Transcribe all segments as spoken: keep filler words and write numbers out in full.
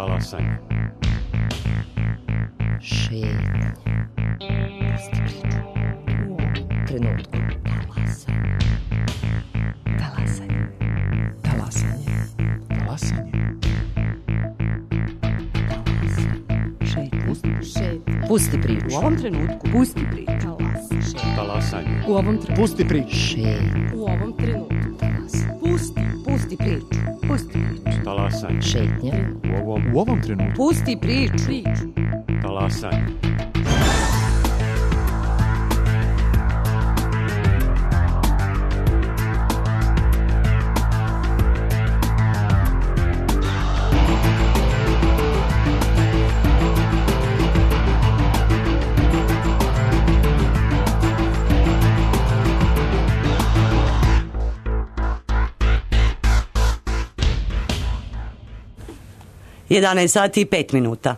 Talasanje. Šetnja. Pusti priču. U ovom trenutku. Talasanje. Talasanje. Talasanje. Šetnja. Pusti priču. U ovom trenutku. Pusti priču. Talasanje. U ovom trenutku. Pusti priču. Šetnja. U ovom trenutku. Pusti. Pusti priču. Pusti priču. Talasanje. Šetnja. U ovom, U ovom trenutku. Pusti priču. Priču. talasanje. jedanaest sati i pet minuta.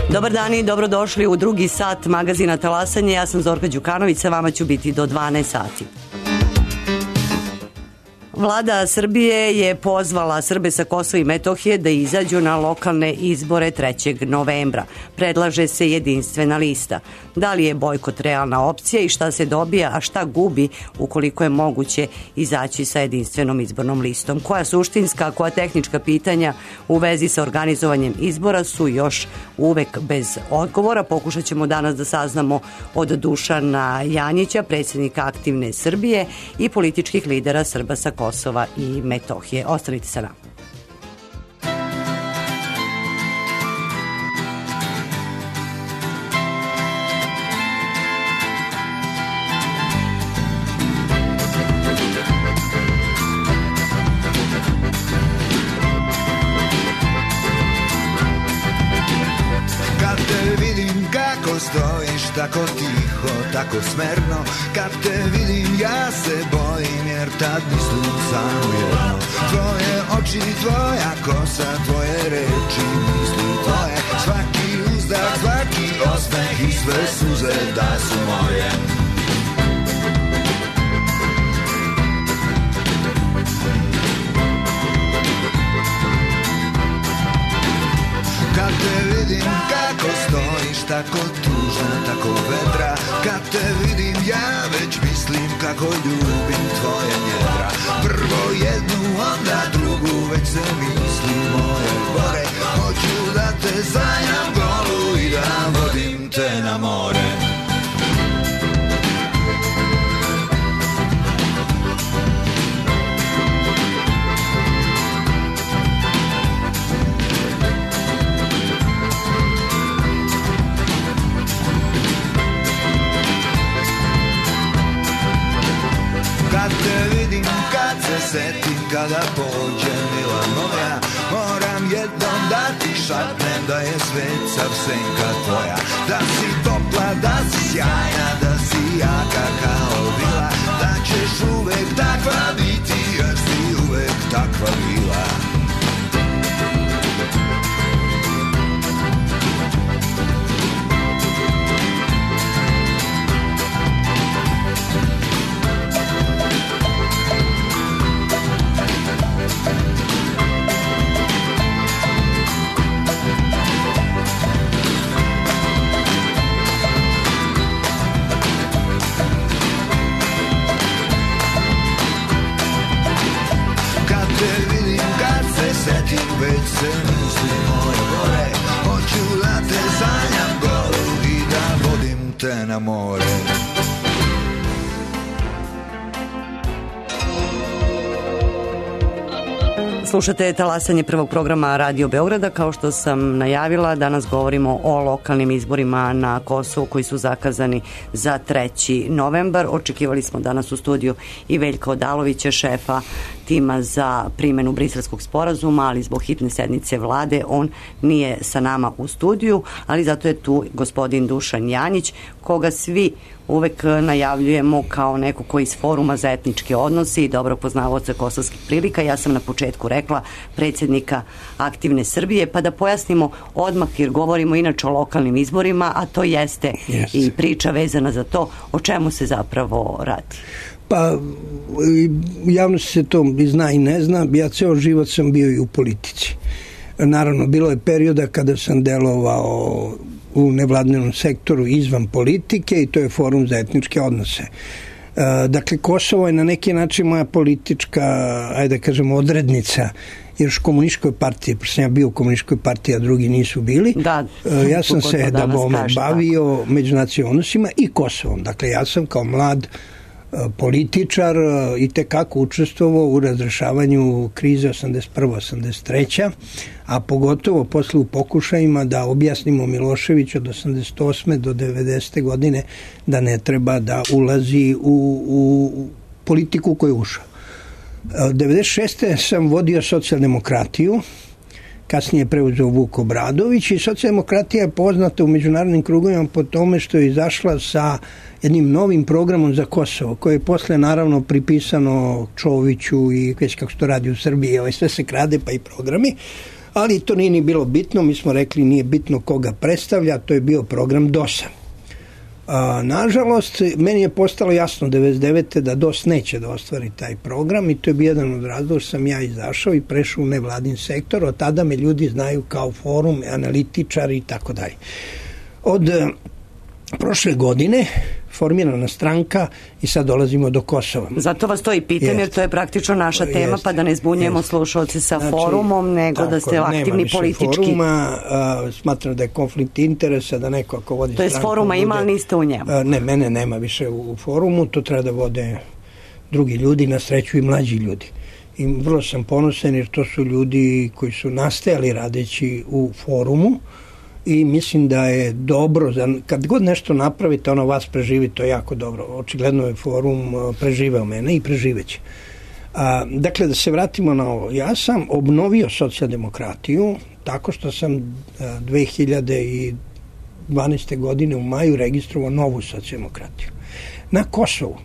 Dobar dan i dobrodošli u drugi sat magazina Talasanje. Ja sam Zorka Đukanović, sa vama ću biti do dvanaest sati. Vlada Srbije je pozvala Srbe sa Kosova i Metohije da izađu na lokalne izbore trećeg novembra. Predlaže se jedinstvena lista. Da li je bojkot realna opcija i šta se dobija, a šta gubi ukoliko je moguće izaći sa jedinstvenom izbornom listom? Koja suštinska, koja tehnička pitanja u vezi sa organizovanjem izbora su još uvek bez odgovora. Pokušat ćemo danas da saznamo od Dušana Janjića, predsjednika Aktivne Srbije i političkih lidera Srba sa Kosova i Metohije. Ostanite sa nama. Kad te vidim kako stojiš tako tiho, tako smerno, kad te vidim ja se bojim jer tad mislim samo jedno. Tvoje oči, tvoja kosa, tvoje reči, misli tvoje, svaki uzdah, svaki osmeh i sve suze da su moje. Kad te vidim kako stojiš tako tužna, tako vedra, kad te vidim ja već mislim kako ljubim tvoje njedra. Prvo jednu, onda drugu, već se misli moje gore. Hoću da te sanjam golu i da vodim te na more. Kad te vidim, kad se setim, kada pođe mila moja, moram jednom da ti šapnem da je svet sav senka tvoja. Da si topla, da si sjajna, da si jaka kao vila, da ćeš uvek takva biti jer si uvek takva bila. Setim, već se misli moje gore. Hoću da te sanjam golu i da vodim te na more. Slušate Talasanje prvog programa Radio Beograda. Kao što sam najavila, danas govorimo o lokalnim izborima na Kosovu koji su zakazani za treći novembar. Očekivali smo danas u studiju i Veljka Odalovića, šefa tima za primjenu Briselskog sporazuma, ali zbog hitne sednice vlade on nije sa nama u studiju, ali zato je tu gospodin Dušan Janjić, koga svi uvek najavljujemo kao neko koji iz Foruma za etničke odnose i dobro poznavaoca kosovskih prilika. Ja sam na početku rekla predsjednika Aktivne Srbije, pa da pojasnimo odmah, jer govorimo inače o lokalnim izborima, a to jeste yes. i priča vezana za to o čemu se zapravo radi. Pa, javnost se to zna i ne zna. Ja ceo život sam bio i u politici. Naravno, bilo je perioda kada sam delovao u nevladinom sektoru izvan politike i to je Forum za etničke odnose. Dakle, Kosovo je na neki način moja politička, ajde da kažem, odrednica, jer u komunističkoj partiji, pošto sam ja bio u komunističkoj partiji, a drugi nisu bili, da, ja sam se da bome bavio tako. međunacionalnim odnosima i Kosovom. Dakle, ja sam kao mlad političar i tekako učestvovao u razrešavanju krize osamdeset prva osamdeset treća a pogotovo posle u pokušajima da objasnimo Miloševiću od osamdeset osme do devedesete godine da ne treba da ulazi u, u politiku koju je ušao. devedeset šeste sam vodio socijaldemokratiju, kasnije preuzeo Vuk Obradović i socijaldemokratija je poznata u međunarodnim krugovima po tome što je izašla sa jednim novim programom za Kosovo, koje je posle naravno pripisano Čoviću i već kako se to radi u Srbiji, ovaj, sve se krade pa i programi, ali to nije ni bilo bitno, mi smo rekli nije bitno koga predstavlja, to je bio program D O S-a. A, nažalost, meni je postalo jasno devedeset devete da D O S neće da ostvari taj program i to je bio jedan od razloga što sam ja izašao i prešao u nevladin sektor. Od tada me ljudi znaju kao Forum, analitičari i tako dalje. Od prošle godine formirana stranka i sad dolazimo do Kosova. Zato vas to i pitam, jest. Jer to je praktično naša tema, jest. Pa da ne zbunjujemo jest. slušalci sa znači, forumom, nego tako, da ste aktivni politički. Nema više foruma, a, smatram da je konflikt interesa, da neko ako vodi to stranku... To je foruma bude, ima, ali niste u njemu. A, ne, mene nema više u, u forumu, to treba da vode drugi ljudi, na sreću i mlađi ljudi. I vrlo sam ponosan jer to su ljudi koji su nastajali radeći u forumu, i mislim da je dobro, kad god nešto napravite, ono vas preživi, to je jako dobro. Očigledno je Forum preživeo mene i preživeće. A, dakle, da se vratimo na ovo. Ja sam obnovio socijaldemokratiju tako što sam a, dve hiljade dvanaeste. godine u maju registrovao novu socijaldemokratiju. Na Kosovu,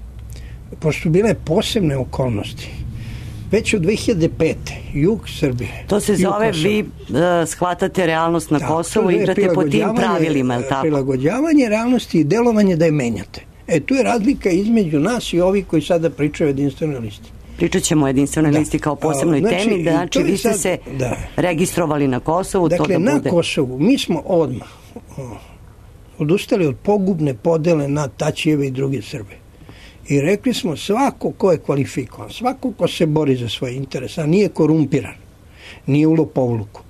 pošto su bile posebne okolnosti, već od dve hiljade pete. jug Srbije. To se zove, vi uh, shvatate realnost na tako, Kosovu i igrate po tim pravilima, je li tako? Prilagođavanje realnosti i delovanje da je menjate. E, tu je razlika između nas i ovih koji sada pričaju o jedinstvenoj listi. Pričat ćemo o jedinstvenoj da. listi kao posebnoj znači, temi, da, znači vi ste sad, se da. registrovali na Kosovu. Dakle, to da na bude... Kosovu mi smo odmah odustali od pogubne podele na Tačijeve i druge Srbe. I rekli smo svako ko je kvalifikovan, svako ko se bori za svoje interese, a nije korumpiran, nije u lopovluku,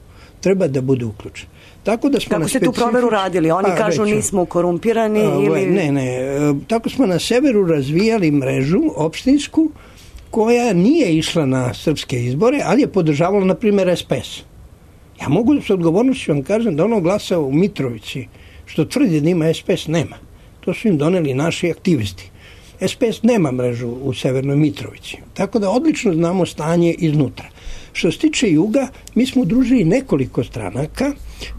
treba da bude uključen. Tako da smo Kako na ste specifič... tu proveru radili? Oni a, kažu reću, nismo korumpirani? A, ili... Ne, ne. Tako smo na severu razvijali mrežu opštinsku koja nije išla na srpske izbore, ali je podržavala, na primjer, S P S. Ja mogu da s odgovornošću vam kažem da ono glasa u Mitrovici, što tvrdi da ima S P S, nema. To su im doneli naši aktivisti. S P S nema mrežu u Severnoj Mitrovici. Tako da odlično znamo stanje iznutra. Što se tiče juga, mi smo udružili nekoliko stranaka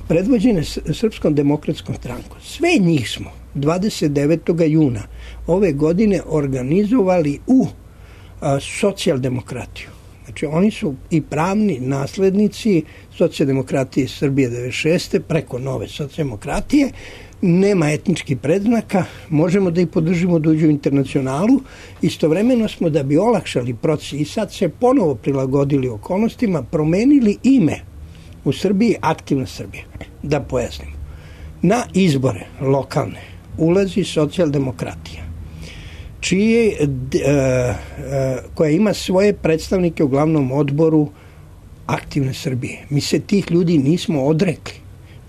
predvođene Srpskom demokratskom strankom. Sve njih smo dvadeset devetog juna ove godine organizovali u a, socijaldemokratiju. Znači oni su i pravni naslednici socijaldemokratije Srbije devedeset šeste preko nove socijaldemokratije. Nema etničkih predznaka, možemo da ih podržimo da uđu u internacionalu, istovremeno smo da bi olakšali proces i sad se ponovo prilagodili okolnostima, promenili ime u Srbiji Aktivna Srbija. Da pojasnimo. Na izbore lokalne ulazi socijaldemokratija, čije, e, e, koja ima svoje predstavnike u glavnom odboru Aktivne Srbije. Mi se tih ljudi nismo odrekli.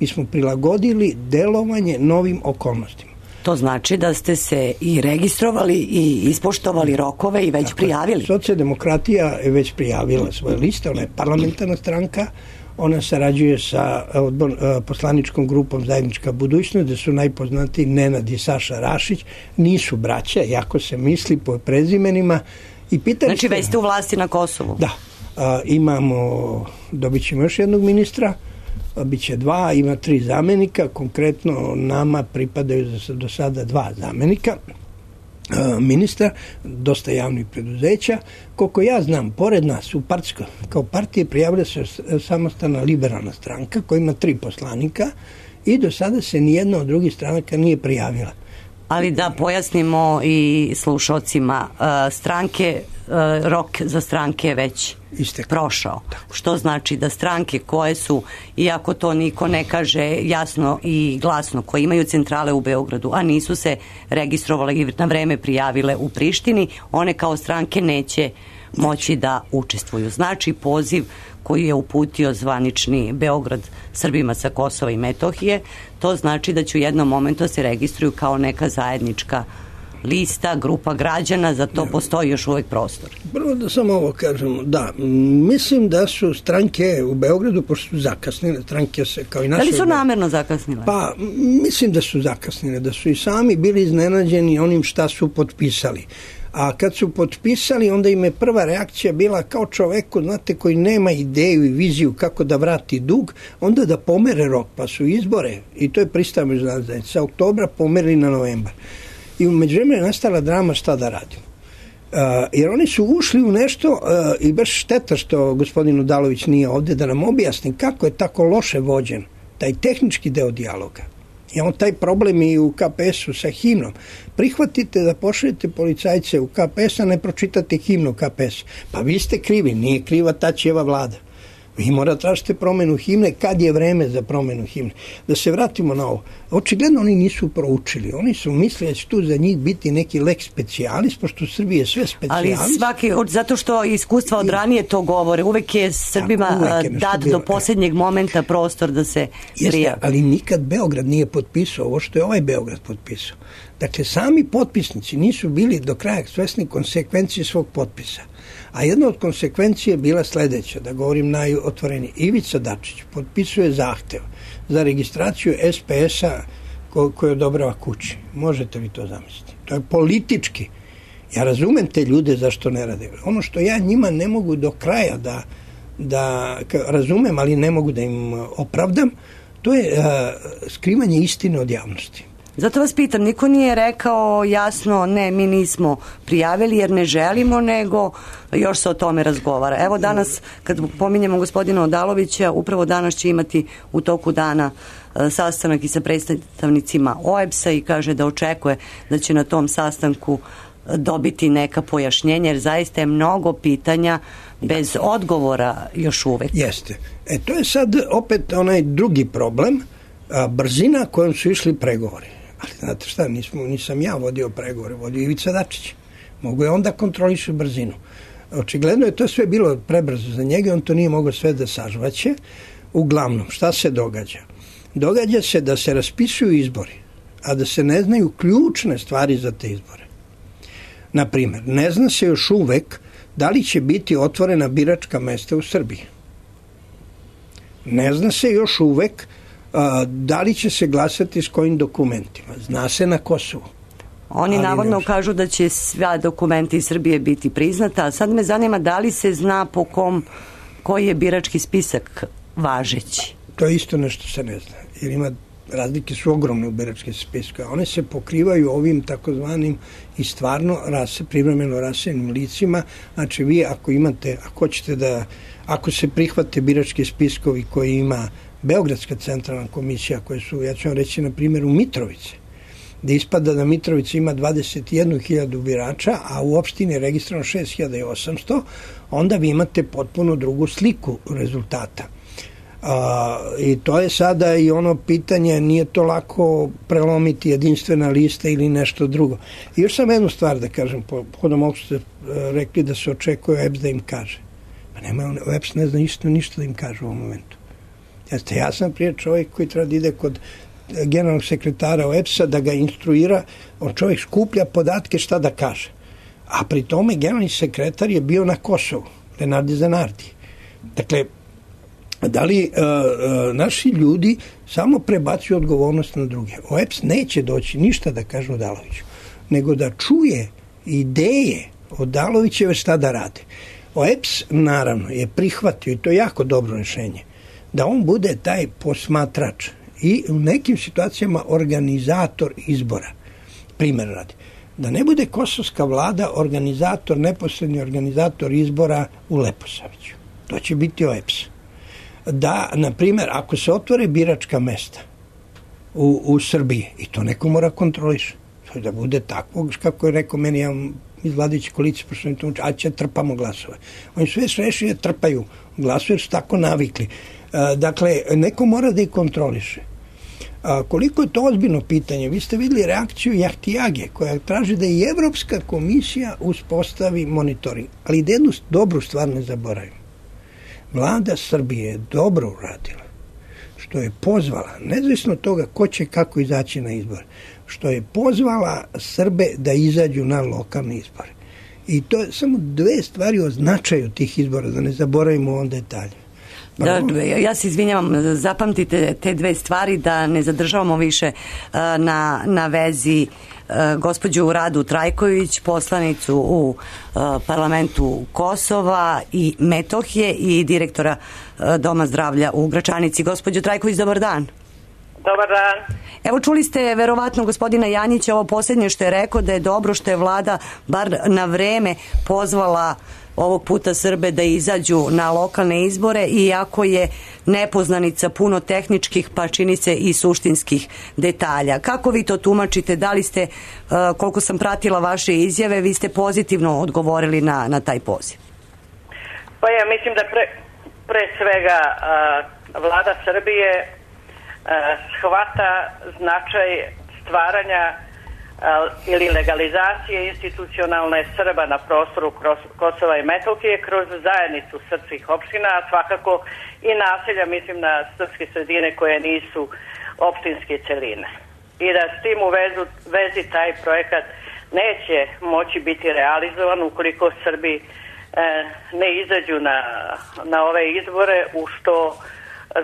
Mi smo prilagodili delovanje novim okolnostima. To znači da ste se i registrovali i ispoštovali rokove i već dakle, prijavili. Socijaldemokratija je već prijavila svoje liste, ona je parlamentarna stranka, ona sarađuje sa odbor, poslaničkom grupom Zajednička budućnost, gde su najpoznatiji Nenad i Saša Rašić, nisu braća, jako se misli po prezimenima, I pitali Znači ste, već ste u vlasti na Kosovu? Da. A, imamo, dobit ćemo još jednog ministra, a, bit će dva, ima tri zamenika, konkretno nama pripadaju do sada dva zamenika ministra, dosta javnih preduzeća. Koliko ja znam, pored nas u partijskoj, kao partije prijavlja se samostalna liberalna stranka koja ima tri poslanika i do sada se nijedna od drugih stranaka nije prijavila. Ali da pojasnimo i slušalcima, stranke, rok za stranke je već Istek. prošao. Tako. Što znači da stranke koje su, iako to niko ne kaže jasno i glasno, koje imaju centrale u Beogradu, a nisu se registrovale i na vreme prijavile u Prištini, one kao stranke neće moći da učestvuju. Znači poziv koji je uputio zvanični Beograd Srbima sa Kosova i Metohije, to znači da će u jednom momentu se registruju kao neka zajednička lista, grupa građana, za to postoji još uvek prostor. Prvo da samo ovo kažemo, da, mislim da su stranke u Beogradu, pošto su zakasnile, stranke se kao i naše... Da li su namerno zakasnile? Pa, mislim da su zakasnile, da su i sami bili iznenađeni onim šta su potpisali. A kad su potpisali, onda im je prva reakcija bila kao čoveku, znate, koji nema ideju i viziju kako da vrati dug, onda da pomere rok, pa su izbore, i to je pristao međunarodna zajednica, sa oktobra pomerili na novembar. I u međuvremenu je nastala drama šta da radimo. Uh, jer oni su ušli u nešto uh, i baš šteta što gospodin Odalović nije ovde da nam objasni kako je tako loše vođen taj tehnički deo dijaloga. I on taj problem i u K P S-u sa himnom. Prihvatite da pošaljete policajce u K P S, a ne pročitate himnu K P S. Pa vi ste krivi, nije kriva Tačijeva vlada. Vi morate tražite promenu himne kad je vreme za promenu himne. Da se vratimo na ovo. Očigledno oni nisu proučili. Oni su mislili da će tu za njih biti neki lex specialis, pošto u Srbiji je sve specialis. Ali svaki, zato što iskustva od ranije to govore, uvek je Srbima uvek je dat do posljednjeg momenta prostor da se prija. Ali nikad Beograd nije potpisao ovo što je ovaj Beograd potpisao. Dakle, sami potpisnici nisu bili do kraja svesni konsekvencije svog potpisa. A jedna od konsekvencije je bila sledeća, da govorim najotvorenije. Ivica Dačić potpisuje zahtev za registraciju S P S-a ko, koji odobrava kući. Možete li to zamisliti? To je politički. Ja razumem te ljude zašto ne rade. Ono što ja njima ne mogu do kraja da, da razumem, ali ne mogu da im opravdam, to je uh, skrivanje istine od javnosti. Zato vas pitam, niko nije rekao jasno ne, mi nismo prijavili jer ne želimo, nego još se o tome razgovara. Evo danas, kad pominjemo gospodina Odalovića, upravo danas će imati u toku dana sastanak i sa predstavnicima O E B S-a i kaže da očekuje da će na tom sastanku dobiti neka pojašnjenja, jer zaista je mnogo pitanja bez odgovora još uvek. Jeste. E, to je sad opet onaj drugi problem, a, brzina kojom su išli pregovori. Ali znate šta, nismo, nisam ja vodio pregovore, vodio Ivica Dačić. Mogu je onda kontrolišu brzinu. Očigledno je to sve bilo prebrzo za njega, on to nije mogao sve da sažvaće. Uglavnom, šta se događa? Događa se da se raspisuju izbori, a da se ne znaju ključne stvari za te izbore. Naprimer, ne zna se još uvek da li će biti otvorena biračka mesta u Srbiji. Ne zna se još uvek a, da li će se glasati s kojim dokumentima. Zna se na Kosovu. Oni navodno kažu da će sva dokumenti iz Srbije biti priznata, a sad me zanima da li se zna po kom, koji je birački spisak važeći. To je isto nešto se ne zna, jer ima razlike su ogromne u biračke spiske. One se pokrivaju ovim takozvanim i stvarno rase, privremeno raseljenim licima. Znači vi ako imate, ako hoćete da, ako se prihvate birački spiskovi koji ima Beogradska centralna komisija, koje su, ja ću vam reći na primjer u Mitrovici, da ispada da Mitrovica ima dvadeset jednu hiljadu birača, a u opštini je registrovano šest hiljada osamsto, onda vi imate potpuno drugu sliku rezultata. A, i to je sada i ono pitanje, nije to lako prelomiti jedinstvena lista ili nešto drugo. I još sam jednu stvar da kažem, pohodom ovog ste rekli da se očekuje O E B S da im kaže. Pa nema, O E B S ne zna isto ništa da im kaže u ovom momentu. Jeste, ja sam prije čovjek koji treba da ide kod generalnog sekretara O E B S-a da ga instruira, on čovjek skuplja podatke šta da kaže. A pri tome generalni sekretar je bio na Kosovu, Lenardi Zanardi. Dakle, da li uh, uh, naši ljudi samo prebacuju odgovornost na druge. O E B S neće doći ništa da kaže Odaloviću, nego da čuje ideje Odalovićeve šta da rade. O E P S naravno je prihvatio, i to je jako dobro rješenje, da on bude taj posmatrač i u nekim situacijama organizator izbora. Primjer radi. Da ne bude kosovska vlada organizator, neposredni organizator izbora u Leposaviću. To će biti O E P S. Da, na primjer, ako se otvore biračka mesta u, u Srbiji, i to neko mora kontroliš, da bude tako, kako je rekao meni, ja iz vladajuće koalicije, pošto mi to uči, a će trpamo glasove. Oni sve srešuje, trpaju glasove, jer su tako navikli. A, dakle, neko mora da ih kontroliše. A, koliko je to ozbiljno pitanje? Vi ste vidjeli reakciju Jahtijage, koja traži da i Evropska komisija uspostavi monitoring. Ali da jednu dobru stvar ne zaboravim. Vlada Srbije je dobro uradila, što je pozvala, nezavisno od toga ko će kako izaći na izbore, što je pozvala Srbe da izađu na lokalne izbore. I to je samo dve stvari o značaju tih izbora, da ne zaboravimo on detalje. Da, ja se izvinjavam, zapamtite te dve stvari, da ne zadržavamo više na, na vezi gospođu Radu Trajković, poslanicu u parlamentu Kosova i Metohije i direktora Doma zdravlja u Gračanici. Gospođo Trajković, dobar dan. Dobar dan. Evo, čuli ste verovatno gospodina Janjića ovo posljednje što je rekao, da je dobro što je vlada bar na vreme pozvala ovog puta Srbe da izađu na lokalne izbore, iako je nepoznanica puno tehničkih, pa čini se i suštinskih detalja. Kako vi to tumačite? Da li ste, koliko sam pratila vaše izjave, vi ste pozitivno odgovorili na, na taj poziv? Pa ja mislim da pre, pre svega vlada Srbije shvata značaj stvaranja ili legalizacije institucionalne Srba na prostoru Kosova i Metohije kroz zajednicu srpskih opština, a svakako i naselja, mislim na srpske sredine koje nisu opštinske celine. I da s tim u vezu, vezi taj projekat neće moći biti realizovan ukoliko Srbi e, ne izađu na, na ove izbore u što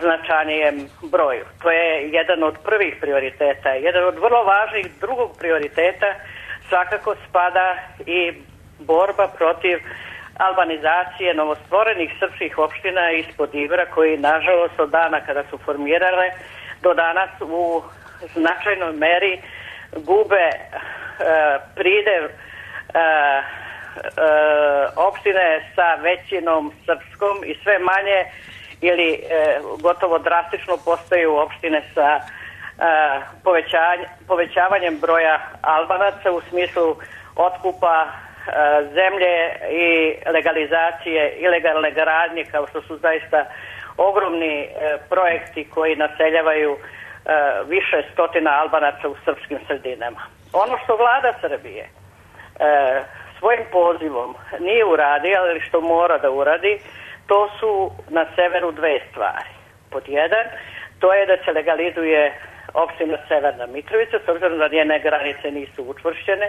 značajnijem broju. To je jedan od prvih prioriteta. Jedan od vrlo važnih drugog prioriteta svakako spada i borba protiv albanizacije novostvorenih srpskih opština ispod Ibra, koji nažalost od dana kada su formirale do danas u značajnoj meri gube e, pridev e, e, opštine sa većinom srpskom i sve manje ili e, gotovo drastično postaju opštine sa e, povećavanjem broja Albanaca u smislu otkupa e, zemlje i legalizacije ilegalne gradnje, kao što su zaista ogromni e, projekti koji naseljavaju e, više stotina Albanaca u srpskim sredinama. Ono što vlada Srbije e, svojim pozivom nije uradi, ali što mora da uradi, to su na severu dve stvari. Pod jedan, to je da se legalizuje opština Severna Mitrovica, s obzirom da njene granice nisu učvršćene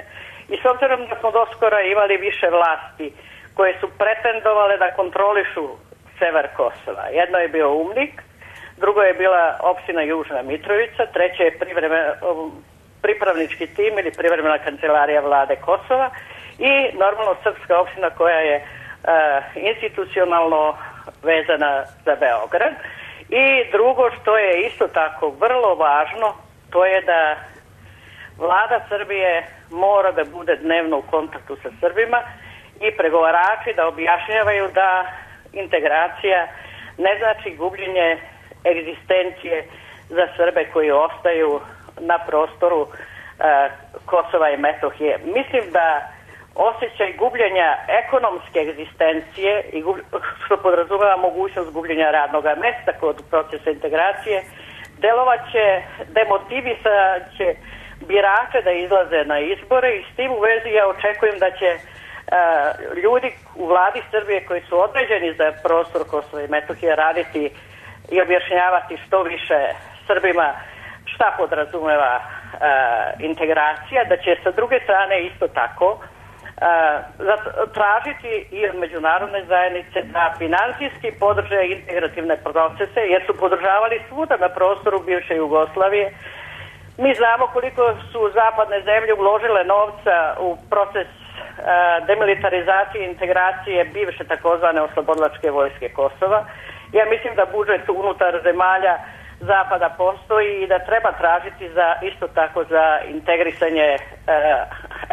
i s obzirom da smo doskora imali više vlasti koje su pretendovale da kontrolišu sever Kosova. Jedno je bio Umnik, drugo je bila opština Južna Mitrovica, treće je privremena, pripravnički tim ili privremena kancelarija vlade Kosova i normalno srpska opština koja je Uh, institucionalno vezana za Beograd. I drugo što je isto tako vrlo važno, to je da vlada Srbije mora da bude dnevno u kontaktu sa Srbima i pregovarači da objašnjavaju da integracija ne znači gubljenje egzistencije za Srbe koji ostaju na prostoru uh, Kosova i Metohije. Mislim da osjećaj gubljenja ekonomske egzistencije i što podrazumeva mogućnost gubljenja radnog mesta kod procesa integracije, delovaće, demotivisaće birače da izlaze na izbore i s tim u vezi ja očekujem da će uh, ljudi u vladi Srbije koji su određeni za prostor Kosova i Metohije raditi i objašnjavati što više Srbima šta podrazumeva uh, integracija, da će sa druge strane isto tako Uh, tražiti i od međunarodne zajednice da finansijski podrže integrativne procese, jer su podržavali svuda na prostoru bivše Jugoslavije. Mi znamo koliko su zapadne zemlje uložile novca u proces demilitarizacije i integracije bivše takozvane oslobodilačke vojske Kosova. Ja mislim da budžet unutar zemalja Zapada postoji i da treba tražiti za isto tako za integrisanje,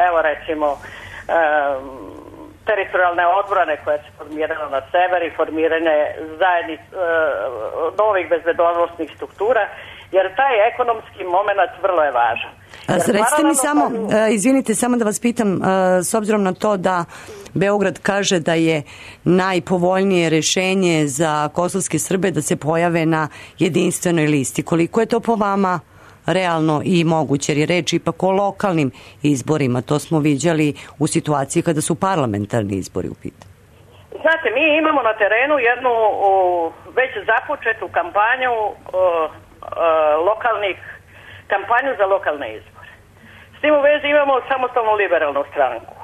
evo recimo, teritorijalne odbrane koja se formirala na sever i formiranje zajednic, novih bezbednosnih struktura, jer taj ekonomski moment vrlo je važan. Recite mi samo, izvinite, samo da vas pitam, s obzirom na to da Beograd kaže da je najpovoljnije rešenje za kosovske Srbe da se pojave na jedinstvenoj listi. Koliko je to po vama realno i moguće, jer je reč ipak o lokalnim izborima. To smo viđali u situaciji kada su parlamentarni izbori u pitanju. Znate, mi imamo na terenu jednu o, već započetu kampanju o, o, lokalnih, kampanju za lokalne izbore. S tim u vezi imamo samostalnu liberalnu stranku,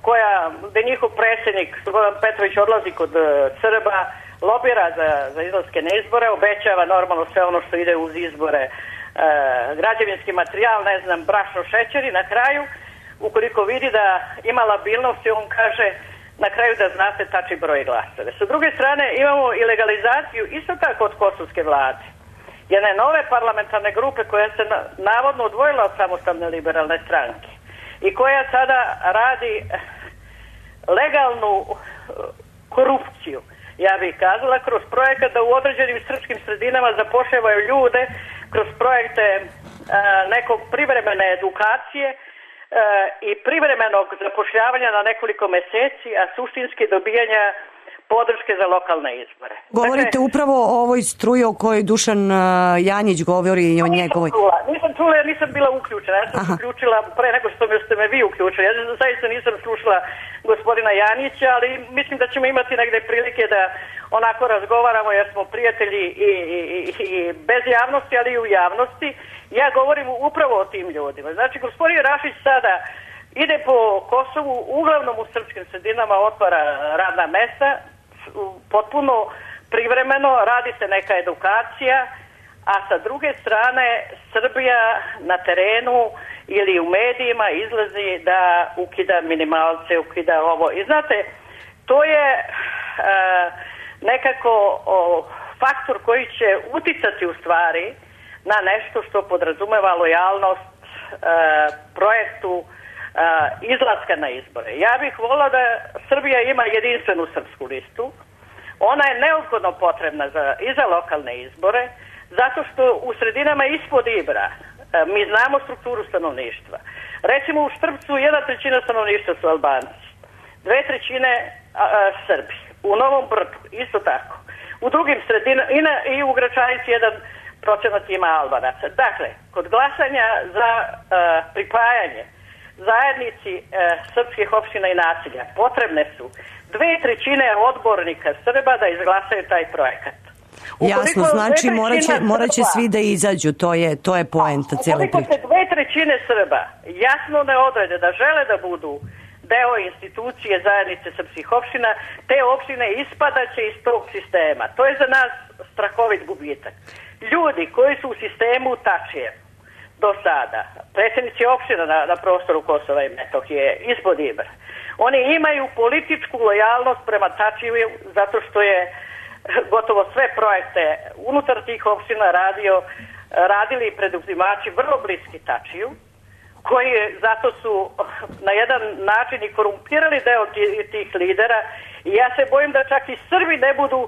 koja, gde njihov predsjednik Slobodan Petrović odlazi kod Srba, lobira za, za izlaske na izbore, obećava normalno sve ono što ide uz izbore, e, građevinski materijal, ne znam, brašno, šećer i na kraju, ukoliko vidi da ima labilnosti, on kaže na kraju da znate tačni broj glasove. Sa druge strane imamo i legalizaciju isto tako od kosovske vlade. Jedne nove parlamentarne grupe koja se na, navodno odvojila od samostalne liberalne stranke i koja sada radi legalnu korupciju, ja bih kazala, kroz projekat da u određenim srpskim sredinama zapošljavaju ljude kroz projekte a, nekog privremene edukacije a, i privremenog zapošljavanja na nekoliko meseci, a suštinski dobijanja podrške za lokalne izbore. Govorite dakle, upravo o ovoj struji o kojoj Dušan uh, Janjić govori i o njegovoj... Čula. Nisam čula jer nisam bila uključena. Ja sam Aha. uključila pre nego što ste me vi uključili. Ja zaista nisam slušala gospodina Janjića, ali mislim da ćemo imati negde prilike da onako razgovaramo jer smo prijatelji i, i, i bez javnosti, ali i u javnosti. Ja govorim upravo o tim ljudima. Znači, gospodin Rašić sada ide po Kosovu, uglavnom u srpskim sredinama otvara radna mesta, potpuno privremeno, radi se neka edukacija, a sa druge strane Srbija na terenu ili u medijima izlazi da ukida minimalce, ukida ovo. I znate, to je e, nekako o, faktor koji će uticati u stvari na nešto što podrazumeva lojalnost e, projektu Uh, izlaska na izbore. Ja bih volila da Srbija ima jedinstvenu srpsku listu. Ona je neophodno potrebna za, i za lokalne izbore, zato što u sredinama ispod Ibra uh, mi znamo strukturu stanovništva. Recimo u Štrpcu jedna trećina stanovništva su Albanci, dve trećine uh, Srbi. U Novom Brdu isto tako. U drugim sredinama i, i u Gračanici jedan procenat ima Albanaca. Dakle, kod glasanja za uh, pripajanje zajednici e, srpskih opština i naselja potrebne su dve trećine odbornika Srba da izglasaju taj projekat. Ukoliko Jasno, znači morat će, morat će svi da izađu, to je, to je poenta cijele priče. Ukoliko se dve trećine Srba jasno ne odrede da žele da budu deo institucije zajednice srpskih opština, te opštine ispadaće iz tog sistema. To je za nas strahovit gubitak. Ljudi koji su u sistemu Tačijev do sada, predsjednici opština na, na prostoru Kosova i Metohije, ispod Ibra, oni imaju političku lojalnost prema Tačiju zato što je gotovo sve projekte unutar tih opština radio, radili preduzimači vrlo bliski Tačiju, koji zato su na jedan način i korumpirali deo tih lidera i ja se bojim da čak i Srbi ne budu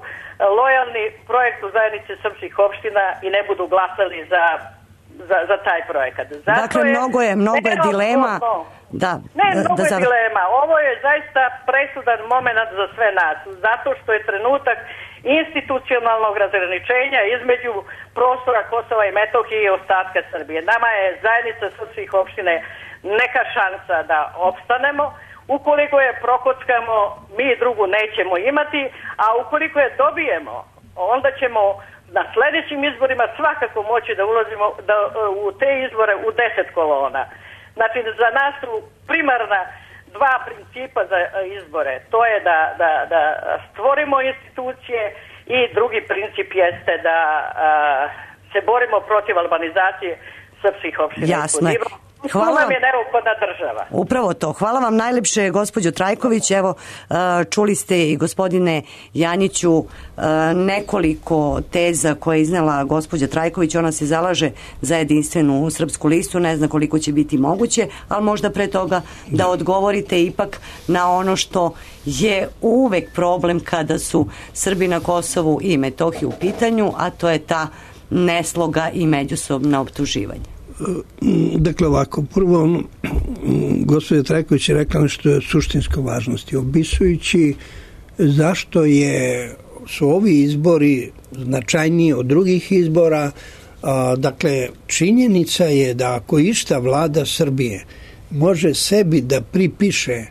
lojalni projektu zajednice srpskih opština i ne budu glasali za Za, za taj projekat. Zato dakle, je, mnogo je, mnogo je dilema. Da, ne, mnogo da, je dilema. Ovo je zaista presudan moment za sve nas. Zato što je trenutak institucionalnog razgraničenja između prostora Kosova i Metohije i ostatka Srbije. Nama je zajednica srpskih opštine neka šansa da opstanemo. Ukoliko je prokockamo, mi drugu nećemo imati, a ukoliko je dobijemo, onda ćemo na sljedećim izborima svakako moći da ulazimo da, u te izbore u deset kolona. Znači, za nas su primarna dva principa za izbore. To je da, da, da stvorimo institucije i drugi princip jeste da a, se borimo protiv albanizacije srpskih opština. Jasno je. Hvala Tu nam vam. je neophodna država. Upravo to. Hvala vam najlepše, gospođo Trajković. Evo, uh, čuli ste i gospodine Janjiću uh, nekoliko teza koje je iznela gospođa Trajković. Ona se zalaže za jedinstvenu srpsku listu. Ne zna koliko će biti moguće, ali možda pre toga da odgovorite ipak na ono što je uvek problem kada su Srbi na Kosovu i Metohiji u pitanju, a to je ta nesloga i međusobna optuživanja. Dakle, ovako, prvo, gospođa Trajković je rekla nešto je suštinsko važnosti, opisujući zašto je, su ovi izbori značajniji od drugih izbora. A, dakle, činjenica je da ako išta vlada Srbije može sebi da pripiše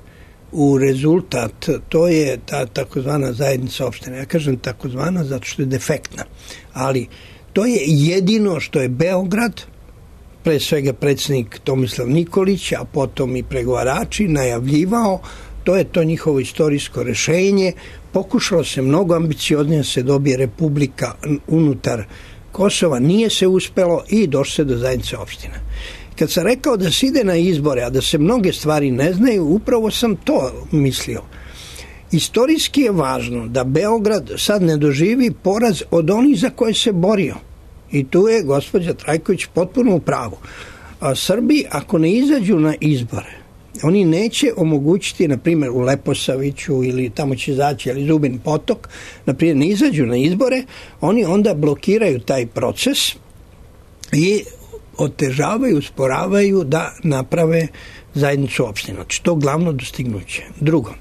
u rezultat, to je ta takozvana zajednica opštine. Ja kažem takozvana zato što je defektna, ali to je jedino što je Beograd, pre svega predsjednik Tomislav Nikolić, a potom i pregovarači najavljivao, to je to njihovo istorijsko rešenje. Pokušalo se mnogo ambicioznije se dobije republika unutar Kosova, nije se uspelo i došlo se do zajednice opština. Kad sam rekao da se ide na izbore, a da se mnoge stvari ne znaju, upravo sam to mislio. Istorijski je važno da Beograd sad ne doživi poraz od onih za koje se borio. I tu je gospođa Trajković potpuno u pravu. A Srbi, ako ne izađu na izbore, oni neće omogućiti, na primjer u Leposaviću ili tamo će izaći, ali Zubin Potok, na primjer ne izađu na izbore, oni onda blokiraju taj proces i otežavaju, usporavaju da naprave zajednicu opština. Znači, to glavno dostignuće. Drugo,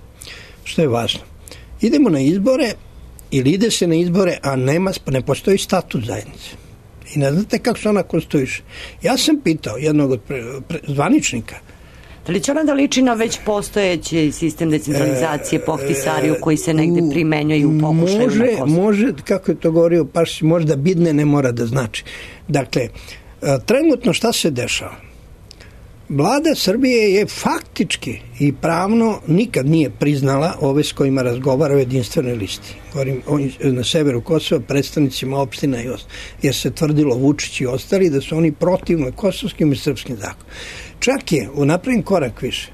što je važno, idemo na izbore ili ide se na izbore, a nema, ne postoji statut zajednice. I ne znate kako se ona konstruiše. Ja sam pitao jednog od pre, pre, zvaničnika. Da li će ona da liči na već postojeći sistem decentralizacije po Ahtisariju koji se negde primenjuje i u pokušaju može, na Kosovu? Može, kako je to govorio Pašić, možda bidne ne mora da znači. Dakle, trenutno šta se dešava? Vlada Srbije je faktički i pravno nikad nije priznala ove s kojima razgovara o jedinstvenoj listi. Govorim na severu Kosova, predstavnicima opština i ostali. Jer se tvrdilo Vučić i ostali da su oni protivno kosovskim i srpskim zakonom. Čak je u napravljen korak više.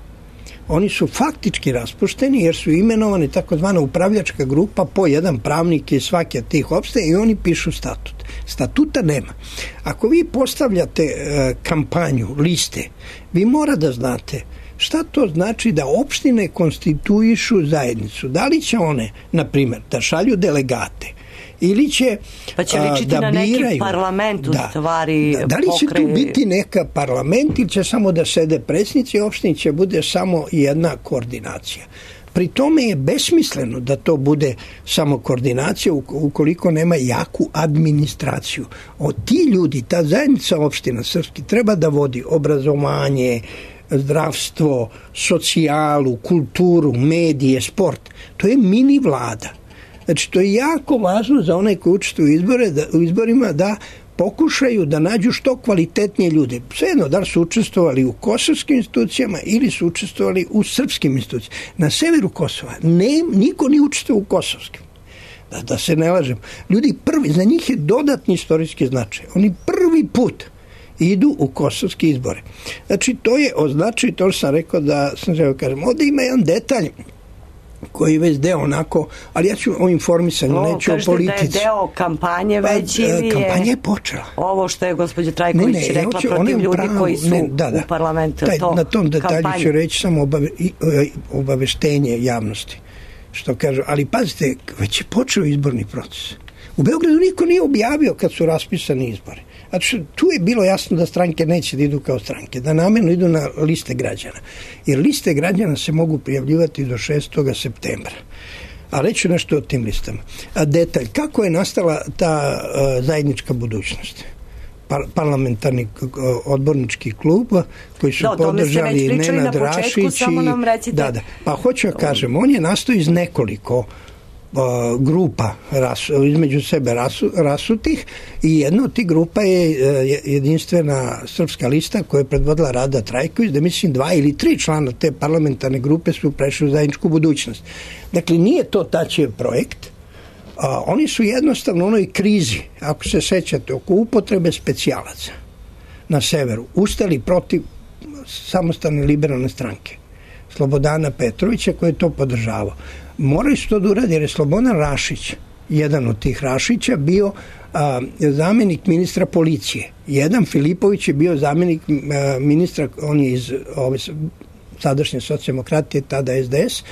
Oni su faktički raspušteni jer su imenovani takozvana upravljačka grupa po jedan pravnik iz svake od tih opština i oni pišu statut. Statuta nema. Ako vi postavljate e, kampanju, liste, vi mora da znate šta to znači da opštine konstituišu zajednicu. Da li će one, na primjer, da šalju delegate ili će pa će ličiti da na neki biraju, parlament u da, stvari da, da li će pokre... tu biti neka parlament ili će samo da sede predsjednici opštine, će bude samo jedna koordinacija. Pri tome je besmisleno da to bude samo koordinacija ukoliko nema jaku administraciju. O ti ljudi, ta zajednica opština srpski treba da vodi obrazovanje, zdravstvo, socijalu, kulturu, medije, sport. To je mini vlada. Znači, to je jako važno za one koji učestvuju u, izbore, da, u izborima da pokušaju da nađu što kvalitetnije ljude. Svejedno, da li su učestvovali u kosovskim institucijama ili su učestvovali u srpskim institucijama. Na severu Kosova ne, niko nije učestvovao u kosovskim. Da, da se ne lažem. Ljudi prvi, za njih je dodatni istorijski značaj. Oni prvi put idu u kosovske izbore. Znači, to je označaj, to sam rekao da sam želeo kažem. Ovdje ima jedan detalj koji je već deo onako, ali ja ću o informisanju, o, neću o politici. Kažete da je deo kampanje već pa, ili je... Kampanja je počela. Ovo što je gospođa Trajković ne, ne, rekla hoću, protiv ljudi pravu, koji su ne, da, da. u parlamentu. Taj, to, na tom detalju kampanje. ću reći samo obave, obaveštenje javnosti. Što kažu, ali pazite, već je počeo izborni proces. U Beogradu niko nije objavio kad su raspisani izbori. Znači, tu je bilo jasno da stranke neće da idu kao stranke, da namjerno idu na liste građana. Jer liste građana se mogu prijavljivati do šestog septembra. A reću nešto o tim listama. A detalj, kako je nastala ta uh, zajednička budućnost? Par, parlamentarni uh, odbornički klub koji su da, podržali Nenad Rašić i... Da, da. Pa hoću da kažem, on je nastao iz nekoliko grupa ras, između sebe rasu, rasutih i jedna od tih grupa je jedinstvena srpska lista koja je predvodila Rada Trajković, da mislim dva ili tri člana te parlamentarne grupe su prešli u zajedničku budućnost. Dakle, nije to tačev projekt. A, oni su jednostavno u onoj krizi, ako se sećate, oko upotrebe specijalaca na severu, ustali protiv samostalne liberalne stranke, Slobodana Petrovića, koji je to podržavao. Morali su to da uradi jer je Slobodan Rašić, jedan od tih Rašića, bio a, zamjenik ministra policije. Jedan Filipović je bio zamjenik a, ministra, on je iz ove sadašnje socijaldemokratije, tada es de es,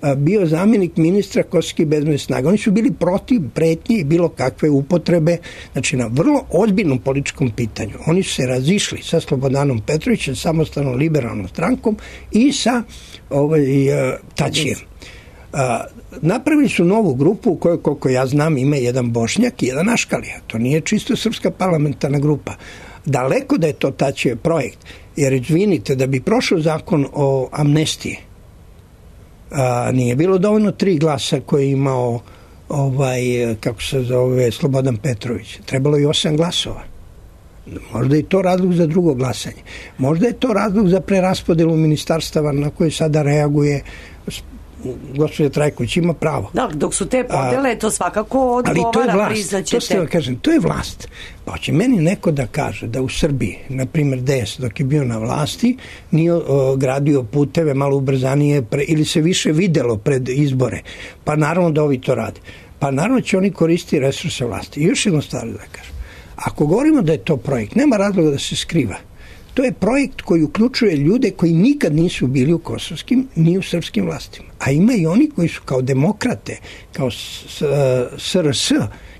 a, bio zamjenik ministra kosovskih bezbednosnih snaga. Oni su bili protiv pretnje i bilo kakve upotrebe, znači na vrlo ozbiljnom političkom pitanju. Oni su se razišli sa Slobodanom Petrovićem, samostalnom liberalnom strankom i sa ovaj, a, Tačijem. A, napravili su novu grupu u kojoj, koliko ja znam, ima jedan Bošnjak i jedan Aškalija. To nije čisto srpska parlamentarna grupa. Daleko da je to Tačijev projekt. Jer, izvinite, da bi prošao zakon o amnestiji, a, nije bilo dovoljno tri glasa koje je imao ovaj, kako se zove, Slobodan Petrović. Trebalo je osam glasova. Možda je to razlog za drugo glasanje. Možda je to razlog za preraspodelu ministarstava na koje sada reaguje gospođa Trajković, ima pravo. Da, dok su te podele, a, to svakako odgovara, priznaćete. To ste da kažem, to je vlast. Pa će meni neko da kaže da u Srbiji, na primjer D S, dok je bio na vlasti, nije o, gradio puteve malo ubrzanije pre, ili se više videlo pred izbore. Pa naravno da ovi to rade. Pa naravno će oni koristiti resurse vlasti. I još jedno stvar da kažem. Ako govorimo da je to projekt, nema razloga da se skriva. To je projekt koji uključuje ljude koji nikad nisu bili u kosovskim ni u srpskim vlastima. A ima i oni koji su kao demokrate, kao S R S,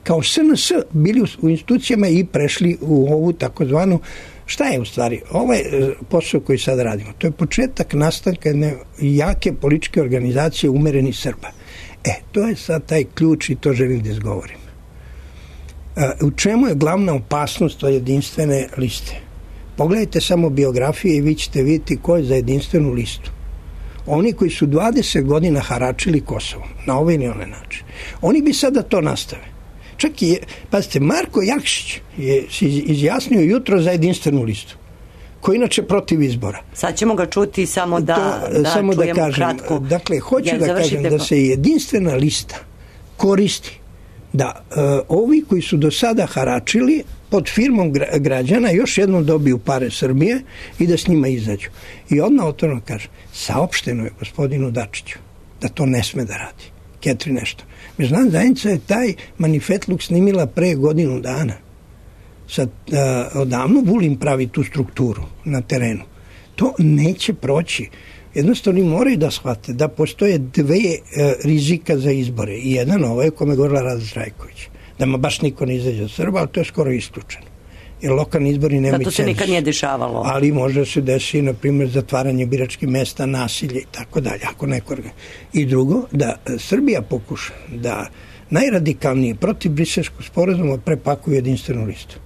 kao S N S bili u institucijama i prešli u ovu takozvanu, šta je u stvari? Ovaj posao koji sad radimo, to je početak nastanka jedne jake političke organizacije umerenih Srba. E, to je sad taj ključ i to želim da izgovorim. U čemu je glavna opasnost od jedinstvene liste? Pogledajte samo biografije i vi ćete vidjeti ko je za jedinstvenu listu. Oni koji su dvadeset godina haračili Kosovom, na ovaj ili onaj način. Oni bi sada to nastave. Čak i, pazite, Marko Jakšić je izjasnio jutro za jedinstvenu listu, koji je inače protiv izbora. Sad ćemo ga čuti samo da, to, da samo čujemo da kažem, kratko. Dakle, hoću Jer da kažem da se jedinstvena lista koristi da uh, ovi koji su do sada haračili pod firmom građana još jednom dobiju pare Srbije i da s njima izađu. I odmah otvoreno kaže, saopšteno je gospodinu Dačiću da to ne sme da radi. Ketri nešto. Međunarodna zajednica je taj manifetluk snimila pre godinu dana. Sad, uh, odavno Vulin pravi tu strukturu na terenu. To neće proći. Jednostavno moraju da shvate da postoje dve uh, rizika za izbore. I jedan ovaj o kome govorila Rada Trajković. Da ma baš niko ne izađe od Srba, ali to je skoro isključeno. Jer lokalni izbori nema i cenzus. Da, to se nikad nije dešavalo. Ali može se desiti, na primjer, zatvaranje biračkih mesta, nasilje i tako dalje. Ako neko... I drugo, da Srbija pokuša da najradikalnije protiv briselskog sporazuma prepakuje jedinstvenu listu.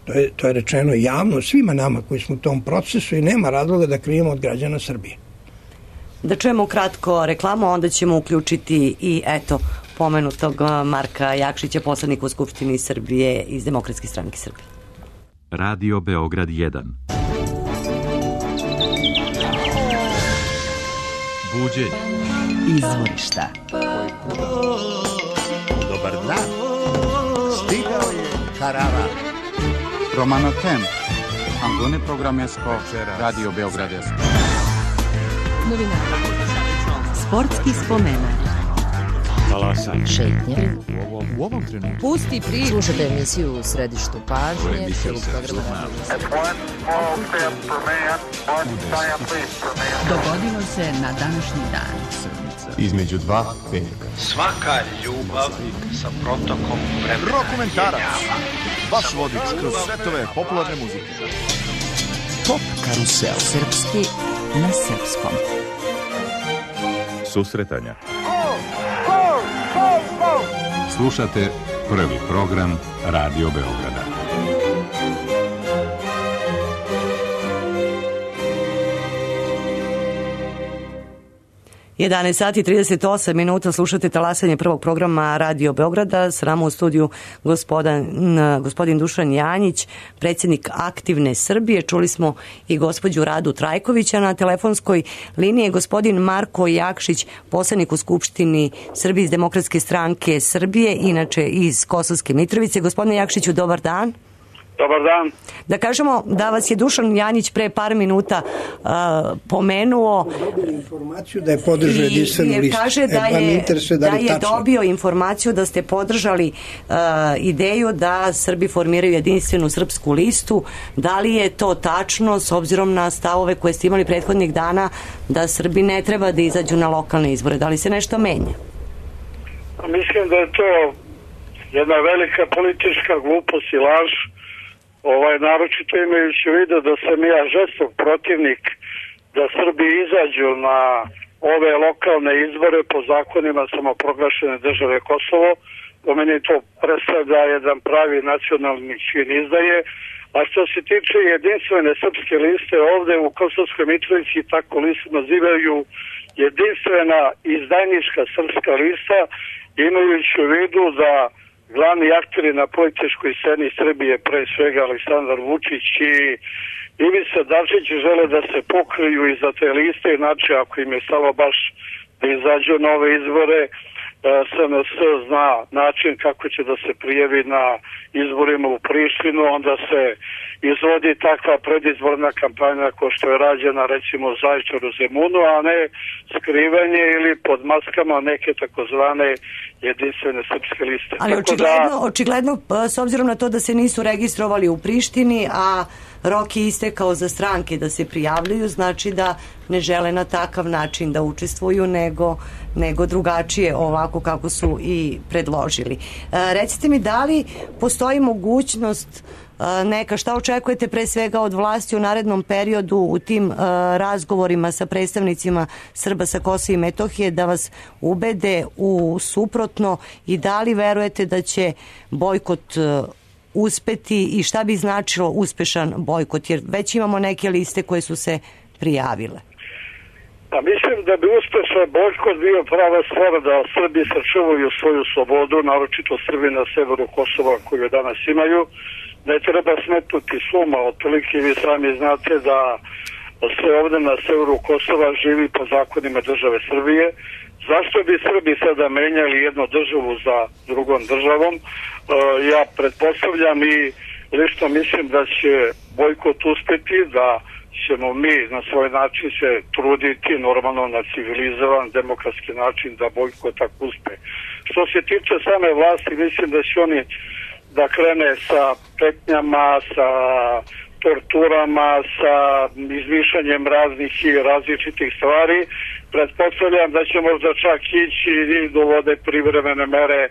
To je, to je rečeno javno svima nama koji smo u tom procesu i nema razloga da krijemo od građana Srbije. Da čujemo kratko reklamu, onda ćemo uključiti i eto pomenutog Marka Jakšića, poslanika u Skupštini Srbije iz Demokratske stranke Srbije. Radio Beograd jedan. Buđenje. Izvorišta. Dobar dan. Stigao je Karava. Romano Tem. Antone Programesko. Radio Beograd jedan. Novinari. Sportski spomenak. Talasanje. Šetnje. U ovom, u ovom trenutku. Pusti priču. Slušajte emisiju u središtu pažnje. Dogodilo se na današnji dan. Između dva petka. Svaka ljubav sa protokom vremena. Rokomentarac. Vaš vodič kroz svetove popularne muzike. Top karusel. Srpski na srpskom. Susretanja. Slušate prvi program Radio Beograda. jedanaest sati i trideset osam minuta, slušate talasanje prvog programa Radio Beograda. S nama u studiju gospodin, gospodin Dušan Janjić, predsjednik Aktivne Srbije. Čuli smo i gospođu Radu Trajkovića. Na telefonskoj liniji je gospodin Marko Jakšić, poslanik u Skupštini Srbije iz Demokratske stranke Srbije, inače iz Kosovske Mitrovice. Gospodine Jakšiću, dobar dan. Dobar dan. Da kažemo da vas je Dušan Janjić pre par minuta uh, pomenuo. Dobili informaciju da je podržao jedinstvenu listu. Kaže da e, je, da, da je dobio informaciju da ste podržali uh, ideju da Srbi formiraju jedinstvenu srpsku listu. Da li je to tačno s obzirom na stavove koje ste imali prethodnih dana da Srbi ne treba da izađu na lokalne izbore? Da li se nešto menja? Mislim da je to jedna velika politička glupost i laž. Ovaj, naročito imajući u vidu da sam ja žestok protivnik da Srbi izađu na ove lokalne izbore po zakonima samoproglašene države Kosovo. Po meni to predstavlja jedan pravi nacionalni čin izdaje. A što se tiče jedinstvene srpske liste, ovde u Kosovskoj Mitrovici tako listu nazivaju jedinstvena izdajnička srpska lista, imajući u vidu da glavni akteri na političkoj sceni Srbije, pre svega Aleksandar Vučić i Ivica Dačić, žele da se pokriju iza te liste, inače ako im je stalo baš da izađu na ove izbore, S N S zna način kako će da se prijavi na izborima u Prištinu, onda se izvodi takva predizborna kampanja kao što je rađena recimo u Zaječaru, Zemunu, a ne skrivanje ili pod maskama neke takozvane jedinstvene srpske liste. Ali Tako očigledno, da, očigledno, s obzirom na to da se nisu registrovali u Prištini, a rok je istekao za stranke da se prijavljuju, znači da ne žele na takav način da učestvuju, nego, nego drugačije, ovako kako su i predložili. E, recite mi, da li postoji mogućnost e, neka, šta očekujete pre svega od vlasti u narednom periodu u tim e, razgovorima sa predstavnicima Srba sa Kosova i Metohije da vas ubede u suprotno i da li verujete da će bojkot e, uspeti i šta bi značilo uspešan bojkot, jer već imamo neke liste koje su se prijavile? Pa mislim da bi uspešan bojkot bio prava stvar da Srbi sačuvaju svoju slobodu, naročito Srbi na severu Kosova koju danas imaju. Ne treba smetnuti suma, otprilike vi sami znate da sve ovde na severu Kosova živi po zakonima države Srbije. Zašto bi Srbi sada menjali jednu državu za drugom državom? E, ja pretpostavljam i lično mislim da će bojkot uspeti, da ćemo mi na svoj način se truditi normalno na civilizovan, demokratski način da bojkot tako uspe. Što se tiče same vlasti, mislim da će oni da krene sa petnjama, sa torturama, sa izmišljanjem raznih i različitih stvari. Pretpostavljam da će možda čak ići i dovode privremene mere,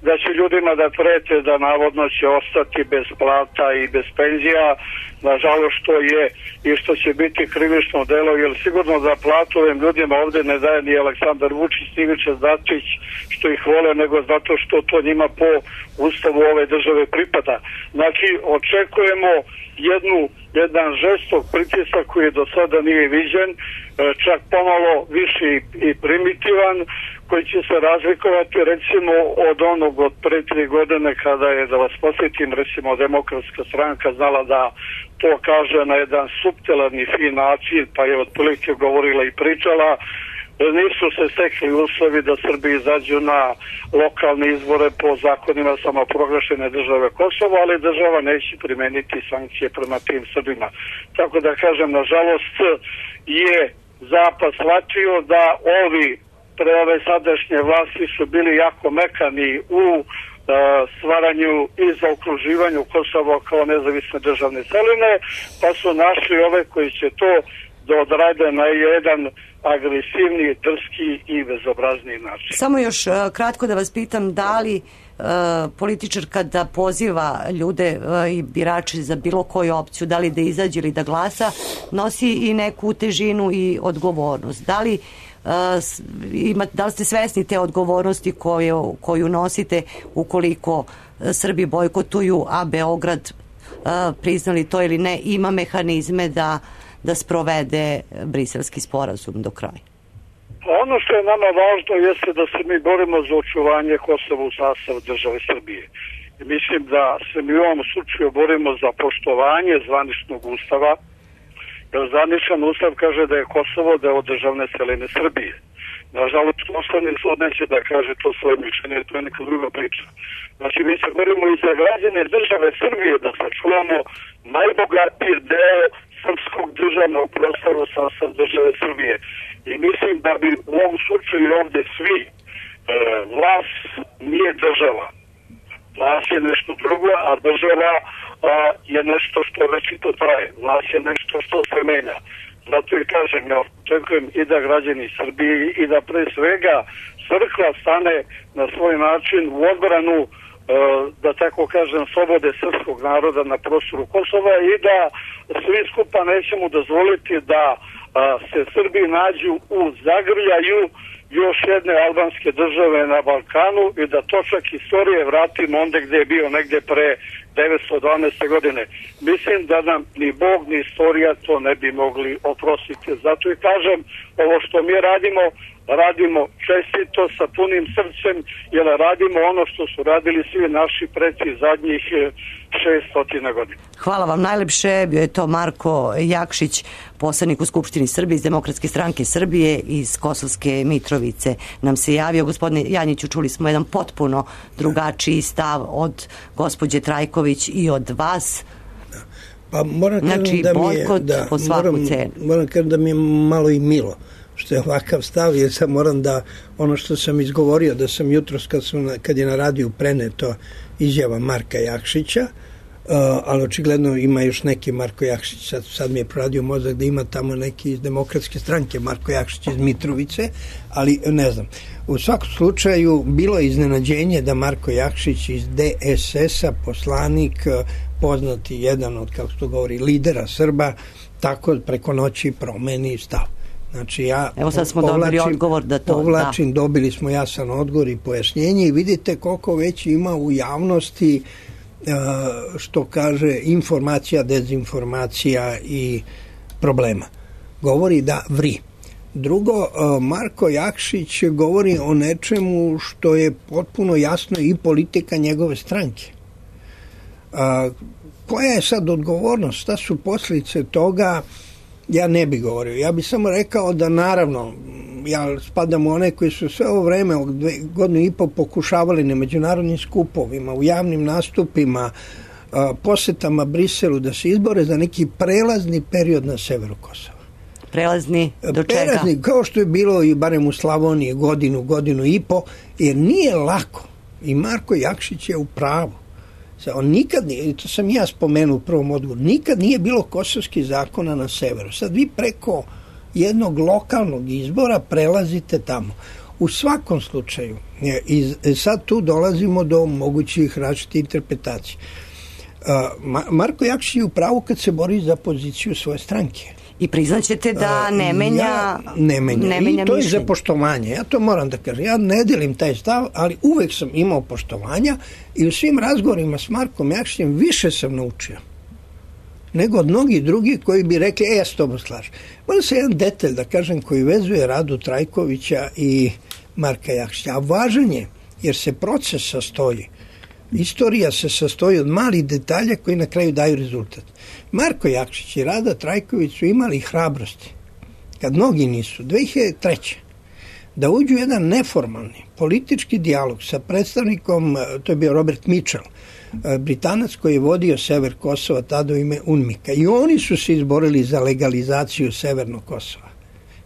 da će ljudima da prete da navodno će ostati bez plata i bez penzija, nažalost što je i što će biti krivično delo, jer sigurno da platu ovim ljudima ovde ne daje ni Aleksandar Vučić, ni Ivica Dačić što ih vole, nego zato što to njima po ustavu ove države pripada. Znači, očekujemo jednu, jedan žestok pritisak koji do sada nije viđen, čak pomalo više i primitivan, koji će se razlikovati recimo od onog od pre tri godine kada je, da vas posjetim, recimo Demokratska stranka znala da to kaže na jedan suptilan i fin način, pa je otprilike govorila i pričala. Nisu se stekli uslovi da Srbi izađu na lokalne izbore po zakonima samoproglašene države Kosovo, ali država neće primeniti sankcije prema tim Srbima. Tako da kažem, nažalost je Zapad shvatio da ovi pre ove sadašnje vlasti su bili jako mekani u uh, stvaranju i zaokruživanju Kosova kao nezavisne državne celine, pa su našli ove koji će to da odrade na jedan agresivni, drski i bezobrazni način. Samo još uh, kratko da vas pitam, da li uh, političar kada poziva ljude uh, i birače za bilo koju opciju, da li da izađe ili da glasa, nosi i neku težinu i odgovornost? Da li Uh, ima, da li ste svesni te odgovornosti koju, koju nosite ukoliko Srbi bojkotuju, a Beograd, uh, priznali to ili ne, ima mehanizme da, da sprovede briselski sporazum do kraja? Ono što je nama važno jeste da se mi borimo za očuvanje Kosova u sastavu države Srbije. I mislim da se mi u ovom slučaju borimo za poštovanje zvaničnog ustava, jer zvaničan ustav kaže da je Kosovo deo državne celine Srbije. Nažalost, Ustavni sud neće da kaže to svoje mišljenje, to je neka druga priča. Znači, mi se borimo i za građane države Srbije da sačuvamo najbogatiji deo srpskog državnog prostora sa, sa države Srbije. I mislim da bi u ovom slučaju ovde svi, e, vlast nije država. Vlast je nešto drugo, a država a, je nešto što večito traje. Vlast je nešto što se menja. Zato i kažem, ja očekujem i da građani Srbije i da pre svega crkva stane na svoj način u odbranu, e, da tako kažem, slobode srpskog naroda na prostoru Kosova i da svi skupa nećemo dozvoliti da a, se Srbi nađu u zagrljaju još jedne albanske države na Balkanu i da točak istorije vratimo onda gde je bio negde pre devetsto dvanaeste. godine. Mislim da nam ni Bog ni istorija to ne bi mogli oprostiti. Zato i kažem, ovo što mi radimo, radimo čestito, sa punim srcem, jer radimo ono što su radili svi naši preci zadnjih šeststo godina. Hvala vam najlepše. Bio je to Marko Jakšić, poslanik u Skupštini Srbije iz Demokratske stranke Srbije iz Kosovske Mitrovice nam se javio. Gospodine Janjiću, čuli smo jedan potpuno drugačiji stav od gospođe Trajković i od vas. Da. Pa moram znači, da bojkot mi je, da, po svaku moram, cenu. Moram kažem da mi je malo i milo što je ovakav stav, jer sam moram da ono što sam izgovorio, da sam jutros kad, sam, kad je na radiju preneto izjava Marka Jakšića, uh, ali očigledno ima još neki Marko Jakšić, sad, sad mi je proradio mozak da ima tamo neki iz Demokratske stranke, Marko Jakšić iz Mitrovice, ali ne znam. U svakom slučaju bilo je iznenađenje da Marko Jakšić iz D S S-a, poslanik, poznati jedan od, kako se to govori, lidera Srba, tako preko noći promeni stav. Znači ja Evo sad smo povlačim, dobili odgovor da to povlačim, da. dobili smo jasan odgovor i pojašnjenje i vidite koliko već ima u javnosti što kaže informacija, dezinformacija i problema. Govori da vri. Drugo, Marko Jakšić govori o nečemu što je potpuno jasno i politika njegove stranke. Koja je sad odgovornost? Šta su posljedice toga? Ja ne bih govorio. Ja bih samo rekao da naravno, ja spadam u one koji su sve ovo vreme, godinu i po pokušavali na međunarodnim skupovima, u javnim nastupima, posetama Briselu da se izbore za neki prelazni period na severu Kosova. Prelazni do čega? Prelazni, kao što je bilo i barem u Slavoniji godinu, godinu i po, jer nije lako. I Marko Jakšić je u pravu. On nikad nije, to sam ja spomenuo u prvom odgovoru, nikad nije bilo kosovskih zakona na severu. Sad vi preko jednog lokalnog izbora prelazite tamo. U svakom slučaju, i sad tu dolazimo do mogućih različitih interpretacija. Marko Jakšić je u pravu kad se bori za poziciju svoje stranke. I priznaćete da ne menja, ja, ne menja. Ne menja I to mišljenje. je za poštovanje. Ja to moram da kažem. Ja ne delim taj stav, ali uvek sam imao poštovanja i u svim razgovorima s Markom Jakšićem više sam naučio nego od mnogih drugih koji bi rekli, e, ja s tobom slažem. Moram se jedan detalj da kažem koji vezuje Radu Trajkovića i Marka Jakšića. A važan je, jer se proces sastoji. Istorija se sastoji od malih detalja koji na kraju daju rezultat. Marko Jakšić i Rada Trajković su imali hrabrosti, kad mnogi nisu, dve hiljade treće da uđu u jedan neformalni politički dijalog sa predstavnikom, to je bio Robert Mitchell, Britanac koji je vodio sever Kosova tada u ime UNMIK-a, i oni su se izborili za legalizaciju severnog Kosova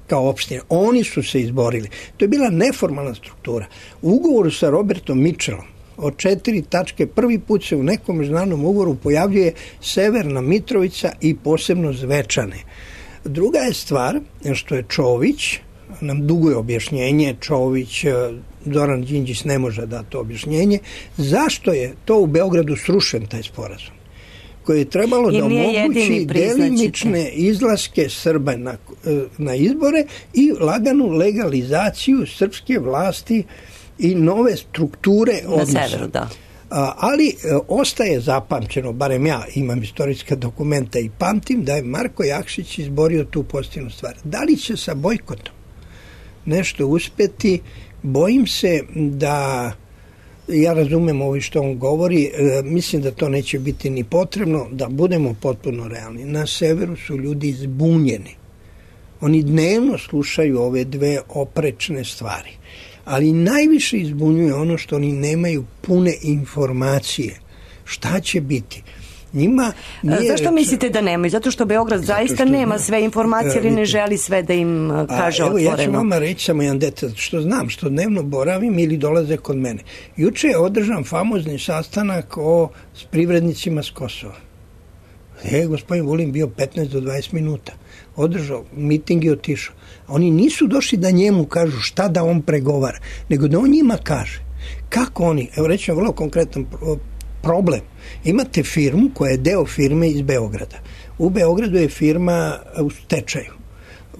kao opštine. Oni su se izborili. To je bila neformalna struktura. U ugovoru sa Robertom Mitchellom od četiri tačke prvi put se u nekom međunarodnom ugovoru pojavljuje Severna Mitrovica i posebno Zvečane. Druga je stvar što je Čović, nam duguje objašnjenje, Čović, Zoran Đinđić ne može dati to objašnjenje, zašto je to u Beogradu srušen taj sporazum, koji je trebalo da omogući delimične izlaske Srba na, na izbore i laganu legalizaciju srpske vlasti i nove strukture odnosa. Na severu, da. A, ali e, ostaje zapamćeno, barem ja imam istorijska dokumenta i pamtim, da je Marko Jakšić izborio tu pozitivnu stvar. Da li će sa bojkotom nešto uspeti? Bojim se da, ja razumem ovo što on govori, e, mislim da to neće biti ni potrebno, da budemo potpuno realni. Na severu su ljudi zbunjeni Oni dnevno slušaju ove dve oprečne stvari. Ali najviše izbunjuje ono što oni nemaju pune informacije. Šta će biti? Njima Zašto reč... mislite da nemaju? Zato što Beograd Zato zaista što nema sve informacije ili ne želi sve da im kaže A, evo, otvoreno? Ja ću vama reći samo jedan detalj, što znam, što dnevno boravim ili dolaze kod mene. Juče je održan famozni sastanak o, s privrednicima s Kosova. E, gospodin Vulin bio petnaest do dvadeset minuta. Održao miting i otišao. Oni nisu došli da njemu kažu šta da on pregovara, nego da on njima kaže. Kako oni, evo reći vam vrlo konkretan problem. Imate firmu koja je deo firme iz Beograda. U Beogradu je firma u stečaju.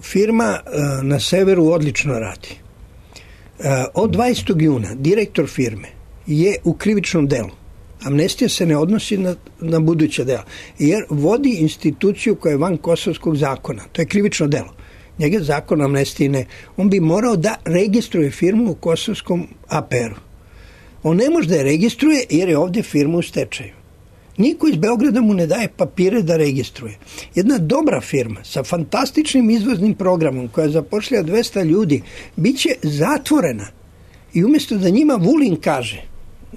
Firma uh, na severu odlično radi. Uh, od dvadesetog juna direktor firme je u krivičnom delu. Amnestija se ne odnosi na, na buduća dela, jer vodi instituciju koja je van kosovskog zakona. To je krivično delo. Njega zakon o amnestiji ne. On bi morao da registruje firmu u kosovskom A P R-u. On ne može da je registruje jer je ovdje firma u stečaju. Niko iz Beograda mu ne daje papire da registruje. Jedna dobra firma sa fantastičnim izvoznim programom koja zapošlja dvesta ljudi bit će zatvorena. I umjesto da njima Vulin kaže,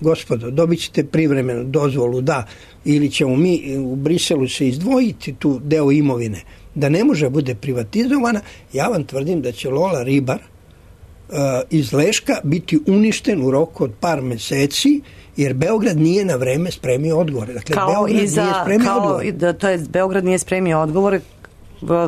gospodo, dobit ćete privremenu dozvolu, da, ili ćemo mi u Briselu se izdvojiti tu deo imovine, da ne može bude privatizovana, ja vam tvrdim da će Lola Ribar uh, iz Leška biti uništen u roku od par meseci, jer Beograd nije na vreme spremio odgovore. Dakle, kao Beograd i za, nije spremio kao, odgovore. Da, to je, Beograd nije spremio odgovore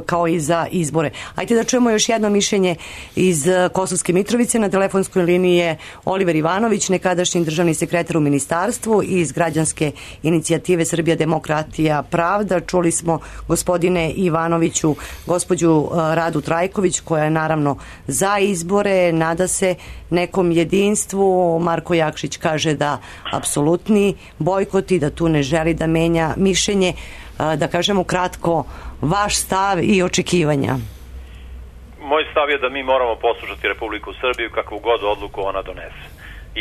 kao i za izbore. Ajde da čujemo još jedno mišljenje iz Kosovske Mitrovice. Na telefonskoj liniji je Oliver Ivanović, nekadašnji državni sekretar u ministarstvu iz građanske inicijative Srbija demokratija pravda. Čuli smo, gospodine Ivanoviću, gospođu Radu Trajković, koja je naravno za izbore, nada se nekom jedinstvu. Marko Jakšić kaže da apsolutni bojkot i da tu ne želi da menja mišljenje. Da kažemo kratko vaš stav i očekivanja. Moj stav je da mi moramo poslušati Republiku Srbiju kakvu god odluku ona donese.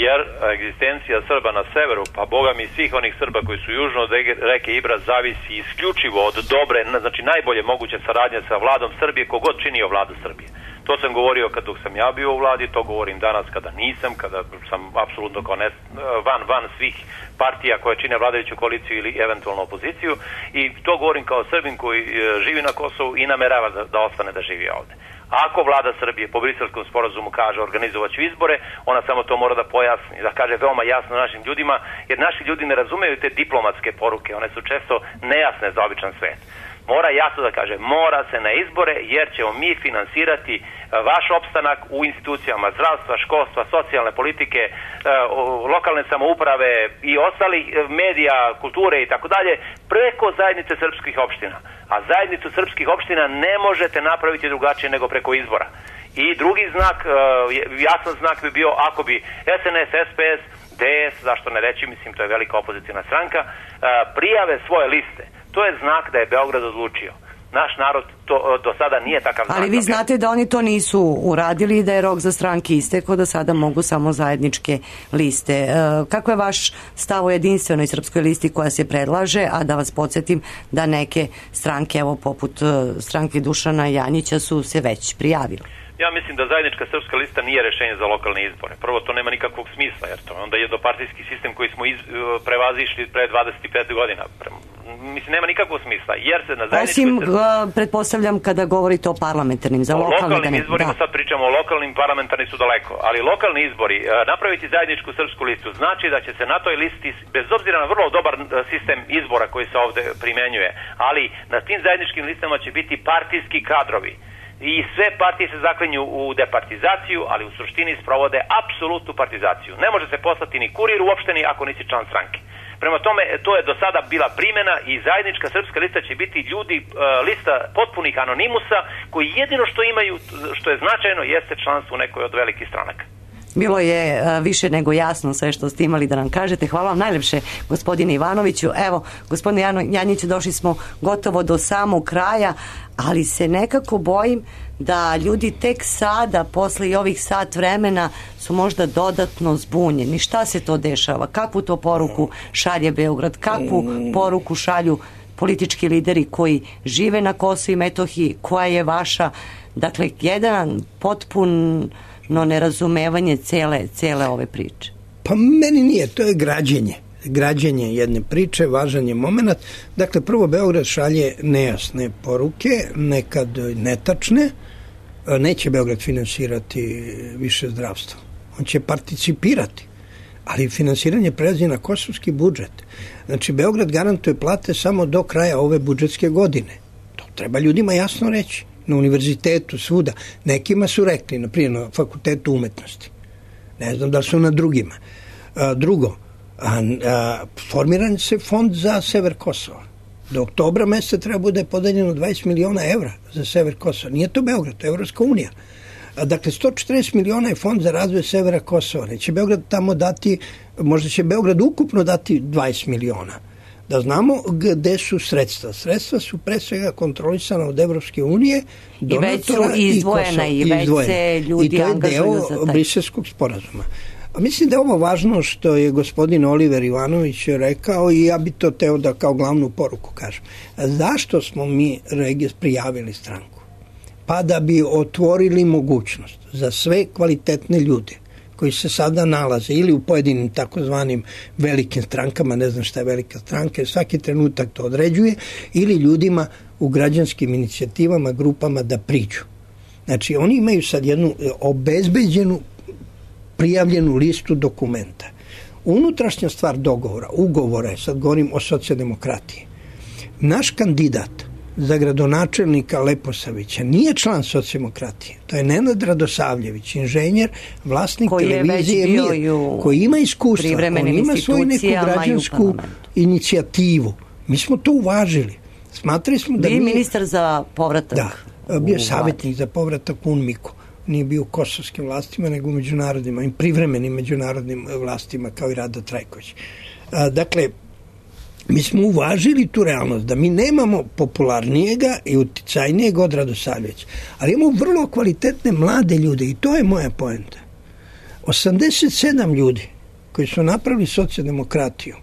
Jer egzistencija Srba na severu, pa boga mi svih onih Srba koji su južno od reke Ibra, zavisi isključivo od dobre, znači najbolje moguće saradnje sa vladom Srbije, kogod činio vladu Srbije. To sam govorio kad dok sam ja bio u vladi, to govorim danas kada nisam, kada sam apsolutno kao ne, van, van svih partija koje čine vladajuću koaliciju ili eventualno opoziciju, i to govorim kao Srbin koji živi na Kosovu i namerava da, da ostane da živi ovde. Ako vlada Srbije po Briselskom sporazumu kaže organizovat ću izbore, ona samo to mora da pojasni, da kaže veoma jasno našim ljudima, jer naši ljudi ne razumeju te diplomatske poruke, one su često nejasne za običan svet. Mora jasno da kaže, mora se na izbore jer ćemo mi finansirati vaš opstanak u institucijama zdravstva, školstva, socijalne politike, lokalne samouprave i ostalih medija, kulture i tako dalje, preko zajednice srpskih opština. A zajednicu srpskih opština ne možete napraviti drugačije nego preko izbora. I drugi znak, jasan znak bi bio ako bi S N S, S P S, D S, zašto ne reći, mislim to je velika opozicijna stranka, prijave svoje liste. To je znak da je Beograd odlučio. Naš narod to do sada nije takav znak. Ali vi znate da oni to nisu uradili i da je rok za stranke istekao, da sada mogu samo zajedničke liste. E, kako je vaš stav o jedinstvenoj srpskoj listi koja se predlaže, a da vas podsjetim da neke stranke, evo poput stranke Dušana Janjića, su se već prijavile? Ja mislim da zajednička srpska lista nije rešenje za lokalne izbore. Prvo, to nema nikakvog smisla, jer to onda je jednopartijski sistem koji smo iz, prevazišli pre dvadeset pet godina. Mislim, nema nikakvog smisla, jer se na zajedničkoj... Osim, srpskoj... pretpostavljam, kada govorite o parlamentarnim, za lokalne... O lokalnim da ne... izborima, da. Sad pričamo o lokalnim, parlamentarni su daleko, ali lokalni izbori, napraviti zajedničku srpsku listu znači da će se na toj listi, bez obzira na vrlo dobar sistem izbora koji se ovde primenjuje, ali na tim zajedničkim listama će biti partijski kadrovi. I sve partije se zaklinju u departizaciju, ali u suštini sprovode apsolutnu partizaciju. Ne može se poslati ni kurir u opštini ako nisi član stranke. Prema tome, to je do sada bila primjena i zajednička srpska lista će biti ljudi, lista potpunih anonimusa koji jedino što imaju, što je značajno, jeste članstvo u nekoj od velikih stranaka. Bilo je više nego jasno sve što ste imali da nam kažete. Hvala vam najlepše, gospodine Ivanoviću. Evo, gospodine Janjiću, došli smo gotovo do samog kraja, ali se nekako bojim da ljudi tek sada, posle i ovih sat vremena, su možda dodatno zbunjeni. Šta se to dešava? Kakvu to poruku šalje Beograd? Kakvu poruku šalju politički lideri koji žive na Kosovu i Metohiji? Koja je vaša Dakle, jedan potpuno nerazumevanje cele, cele ove priče. Pa meni nije, to je građenje. Građenje jedne priče, važan je moment. Dakle, prvo Beograd šalje nejasne poruke, nekad netačne. Neće Beograd finansirati više zdravstvo. On će participirati, ali finansiranje prelazi na kosovski budžet. Znači, Beograd garantuje plate samo do kraja ove budžetske godine. To treba ljudima jasno reći. Na univerzitetu, svuda. Nekima su rekli, na primjer na fakultetu umetnosti. Ne znam da li su na drugima. A, drugo, a, a, formiran se fond za sever Kosova. Do oktobra meseca treba bude podeljeno dvadeset miliona evra za sever Kosova. Nije to Beograd, to je Evropska unija. A, dakle, sto četrdeset miliona je fond za razvoj severa Kosova. Neće Beograd tamo dati, možda će Beograd ukupno dati dvadeset miliona. Da znamo gde su sredstva. Sredstva su pre svega kontrolisana od Evropske unije, i već su izdvojena i, i već se ljudi angažuju za taj. I to je deo Briselskog sporazuma. A mislim da je ovo važno što je gospodin Oliver Ivanović rekao i ja bi to teo da kao glavnu poruku kažem. Zašto smo mi prijavili stranku? Pa da bi otvorili mogućnost za sve kvalitetne ljude koji se sada nalaze ili u pojedinim takozvanim velikim strankama, ne znam šta je velika stranka, jer svaki trenutak to određuje, ili ljudima u građanskim inicijativama, grupama da priđu. Znači, oni imaju sad jednu obezbeđenu, prijavljenu listu dokumenta. Unutrašnja stvar dogovora, ugovora je, sad govorim o socijaldemokratiji. Naš kandidat za gradonačelnika Leposavića nije član socijaldemokratije. To je Nenad Radosavljević, inženjer, vlasnik koji televizije Mir, koji ima iskustva, on ima svoju neku građansku inicijativu. Mi smo to uvažili. Smatrali smo da bio ministar za povratak. Da, bio savjetnik za povratak u UNMIK-u. Nije bio u kosovskim vlastima, nego u međunarodnim, i privremenim međunarodnim vlastima, kao i Rada Trajković. Dakle, mi smo uvažili tu realnost da mi nemamo popularnijega i uticajnijeg od Radosavljevića, ali imamo vrlo kvalitetne mlade ljude i to je moja poenta. osamdeset sedam ljudi koji su napravili socijaldemokratiju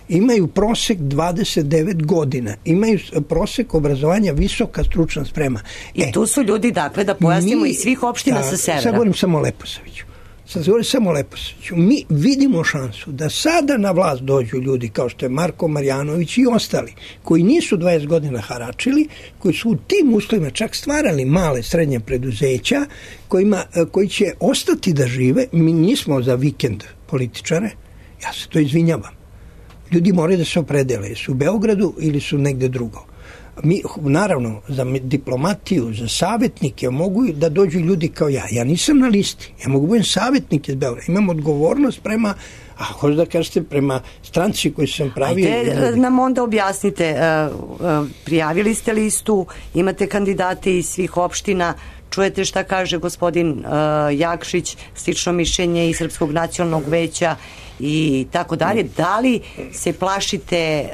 imaju prosek dvadeset devet godina, imaju prosek obrazovanja visoka stručna sprema. I e, tu su ljudi, dakle, da pojasnimo mi, iz svih opština sa severa. Sad govorim samo o Leposaviću. Sad govorim samo o Leposaviću. Mi vidimo šansu da sada na vlast dođu ljudi kao što je Marko Marjanović i ostali, koji nisu dvadeset godina haračili, koji su u tim uslovima čak stvarali male, srednje preduzeća, kojima, koji će ostati da žive. Mi nismo za vikend političare, ja se to izvinjavam. Ljudi moraju da se opredele, su u Beogradu ili su negde drugo. Mi, naravno, za diplomatiju, za savjetnike mogu da dođu ljudi kao ja. Ja nisam na listi, ja mogu budem savjetnik iz Beograda. Imam odgovornost prema, a hoću da kažete, prema stranci koju sam pravio. Ajde nam onda objasnite, prijavili ste listu, imate kandidate iz svih opština, čujete šta kaže gospodin Jakšić, slično mišljenje iz Srpskog nacionalnog veća i tako dalje. Da li se plašite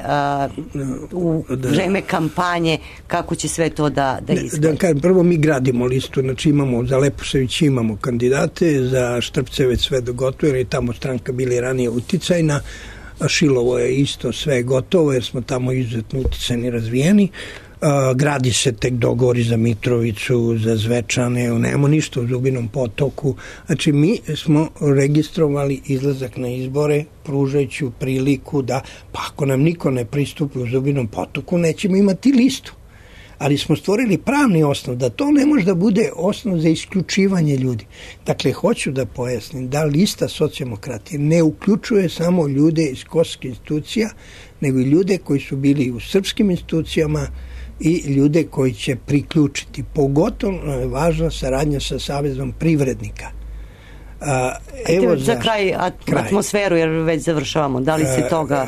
uh, u vreme kampanje kako će sve to da, da izgleda? Da kažem, prvo mi gradimo listu, znači imamo za Leposavić imamo kandidate, za Štrpcevec sve do gotovo, jer je tamo stranka bili ranije uticajna, a Šilovo je isto sve gotovo, jer smo tamo izuzetno uticajni, razvijeni. Uh, gradi se tek dogovori za Mitrovicu, za Zvečane, nemamo ništa u Zubinom potoku. Znači, mi smo registrovali izlazak na izbore, pružajući priliku da, pa ako nam niko ne pristupi u Zubinom potoku, nećemo imati listu. Ali smo stvorili pravni osnov, da to ne može da bude osnov za isključivanje ljudi. Dakle, hoću da pojasnim da lista socijaldemokratije ne uključuje samo ljude iz kosovskih institucija, nego i ljude koji su bili u srpskim institucijama i ljude koji će priključiti. Pogotovo je važna saradnja sa Savezom privrednika. A, evo za, za kraj, at, kraj atmosferu, jer već završavamo. Da li se toga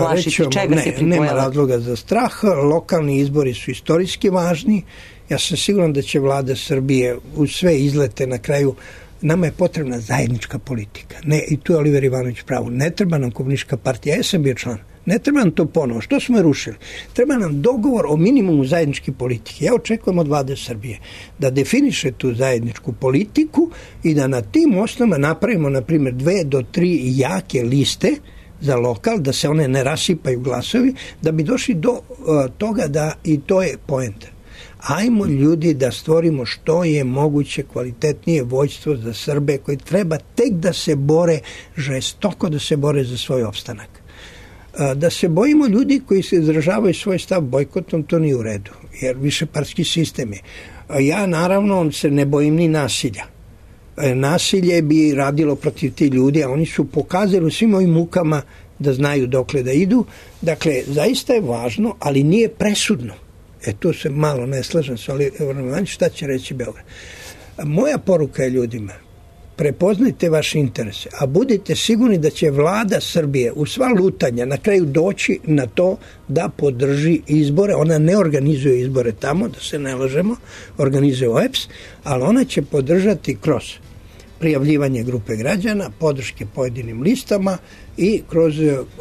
plašite? Rećemo, čega ne, se pripojava? Nema razloga za strah. Lokalni izbori su istorijski važni. Ja sam siguran da će vlada Srbije u sve izlete na kraju. Nama je potrebna zajednička politika. Ne, i tu je Oliver Ivanović pravo. Ne treba nam komunistička partija. Ja sam bio član. Ne treba nam to ponovo. Što smo je rušili? Treba nam dogovor o minimumu zajedničke politike. Ja očekujem od vlade Srbije da definiše tu zajedničku politiku i da na tim osnovama napravimo, na primjer, dve do tri jake liste za lokal, da se one ne rasipaju glasovi, da bi došli do uh, toga da, i to je poenta. Ajmo ljudi da stvorimo što je moguće kvalitetnije vojstvo za Srbe koji treba tek da se bore, žestoko da se bore za svoj opstanak. Da se bojimo ljudi koji se izražavaju svoj stav bojkotom, to nije u redu, jer višepartijski sistem je. Ja naravno se ne bojim ni nasilja. Nasilje bi radilo protiv ti ljudi, a oni su pokazali u svim ovim mukama da znaju dokle da idu. Dakle, zaista je važno, ali nije presudno. E, tu se malo ne slažem sa Oliverom, šta će reći Beograd. Moja poruka je ljudima, prepoznajte vaše interese, a budite sigurni da će vlada Srbije u sva lutanja na kraju doći na to da podrži izbore. Ona ne organizuje izbore tamo, da se ne lažemo, organizuje O E P S, ali ona će podržati kroz prijavljivanje grupe građana, podrške pojedinim listama i kroz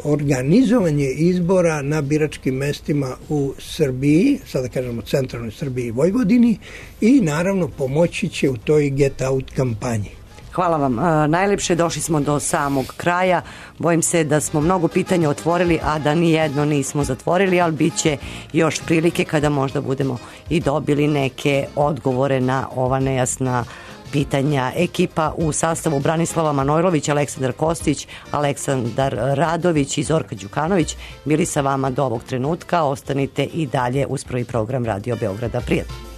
organizovanje izbora na biračkim mestima u Srbiji, sada kažemo centralnoj Srbiji i Vojvodini, i naravno pomoći će u toj get out kampanji. Hvala vam. E, najlepše, došli smo do samog kraja. Bojim se da smo mnogo pitanja otvorili, a da ni jedno nismo zatvorili, ali bit će još prilike kada možda budemo i dobili neke odgovore na ova nejasna pitanja. Ekipa u sastavu Branislava Manojlović, Aleksandar Kostić, Aleksandar Radović i Zorka Đukanović bili sa vama do ovog trenutka. Ostanite i dalje uz prvi program Radio Beograda. Prijatno.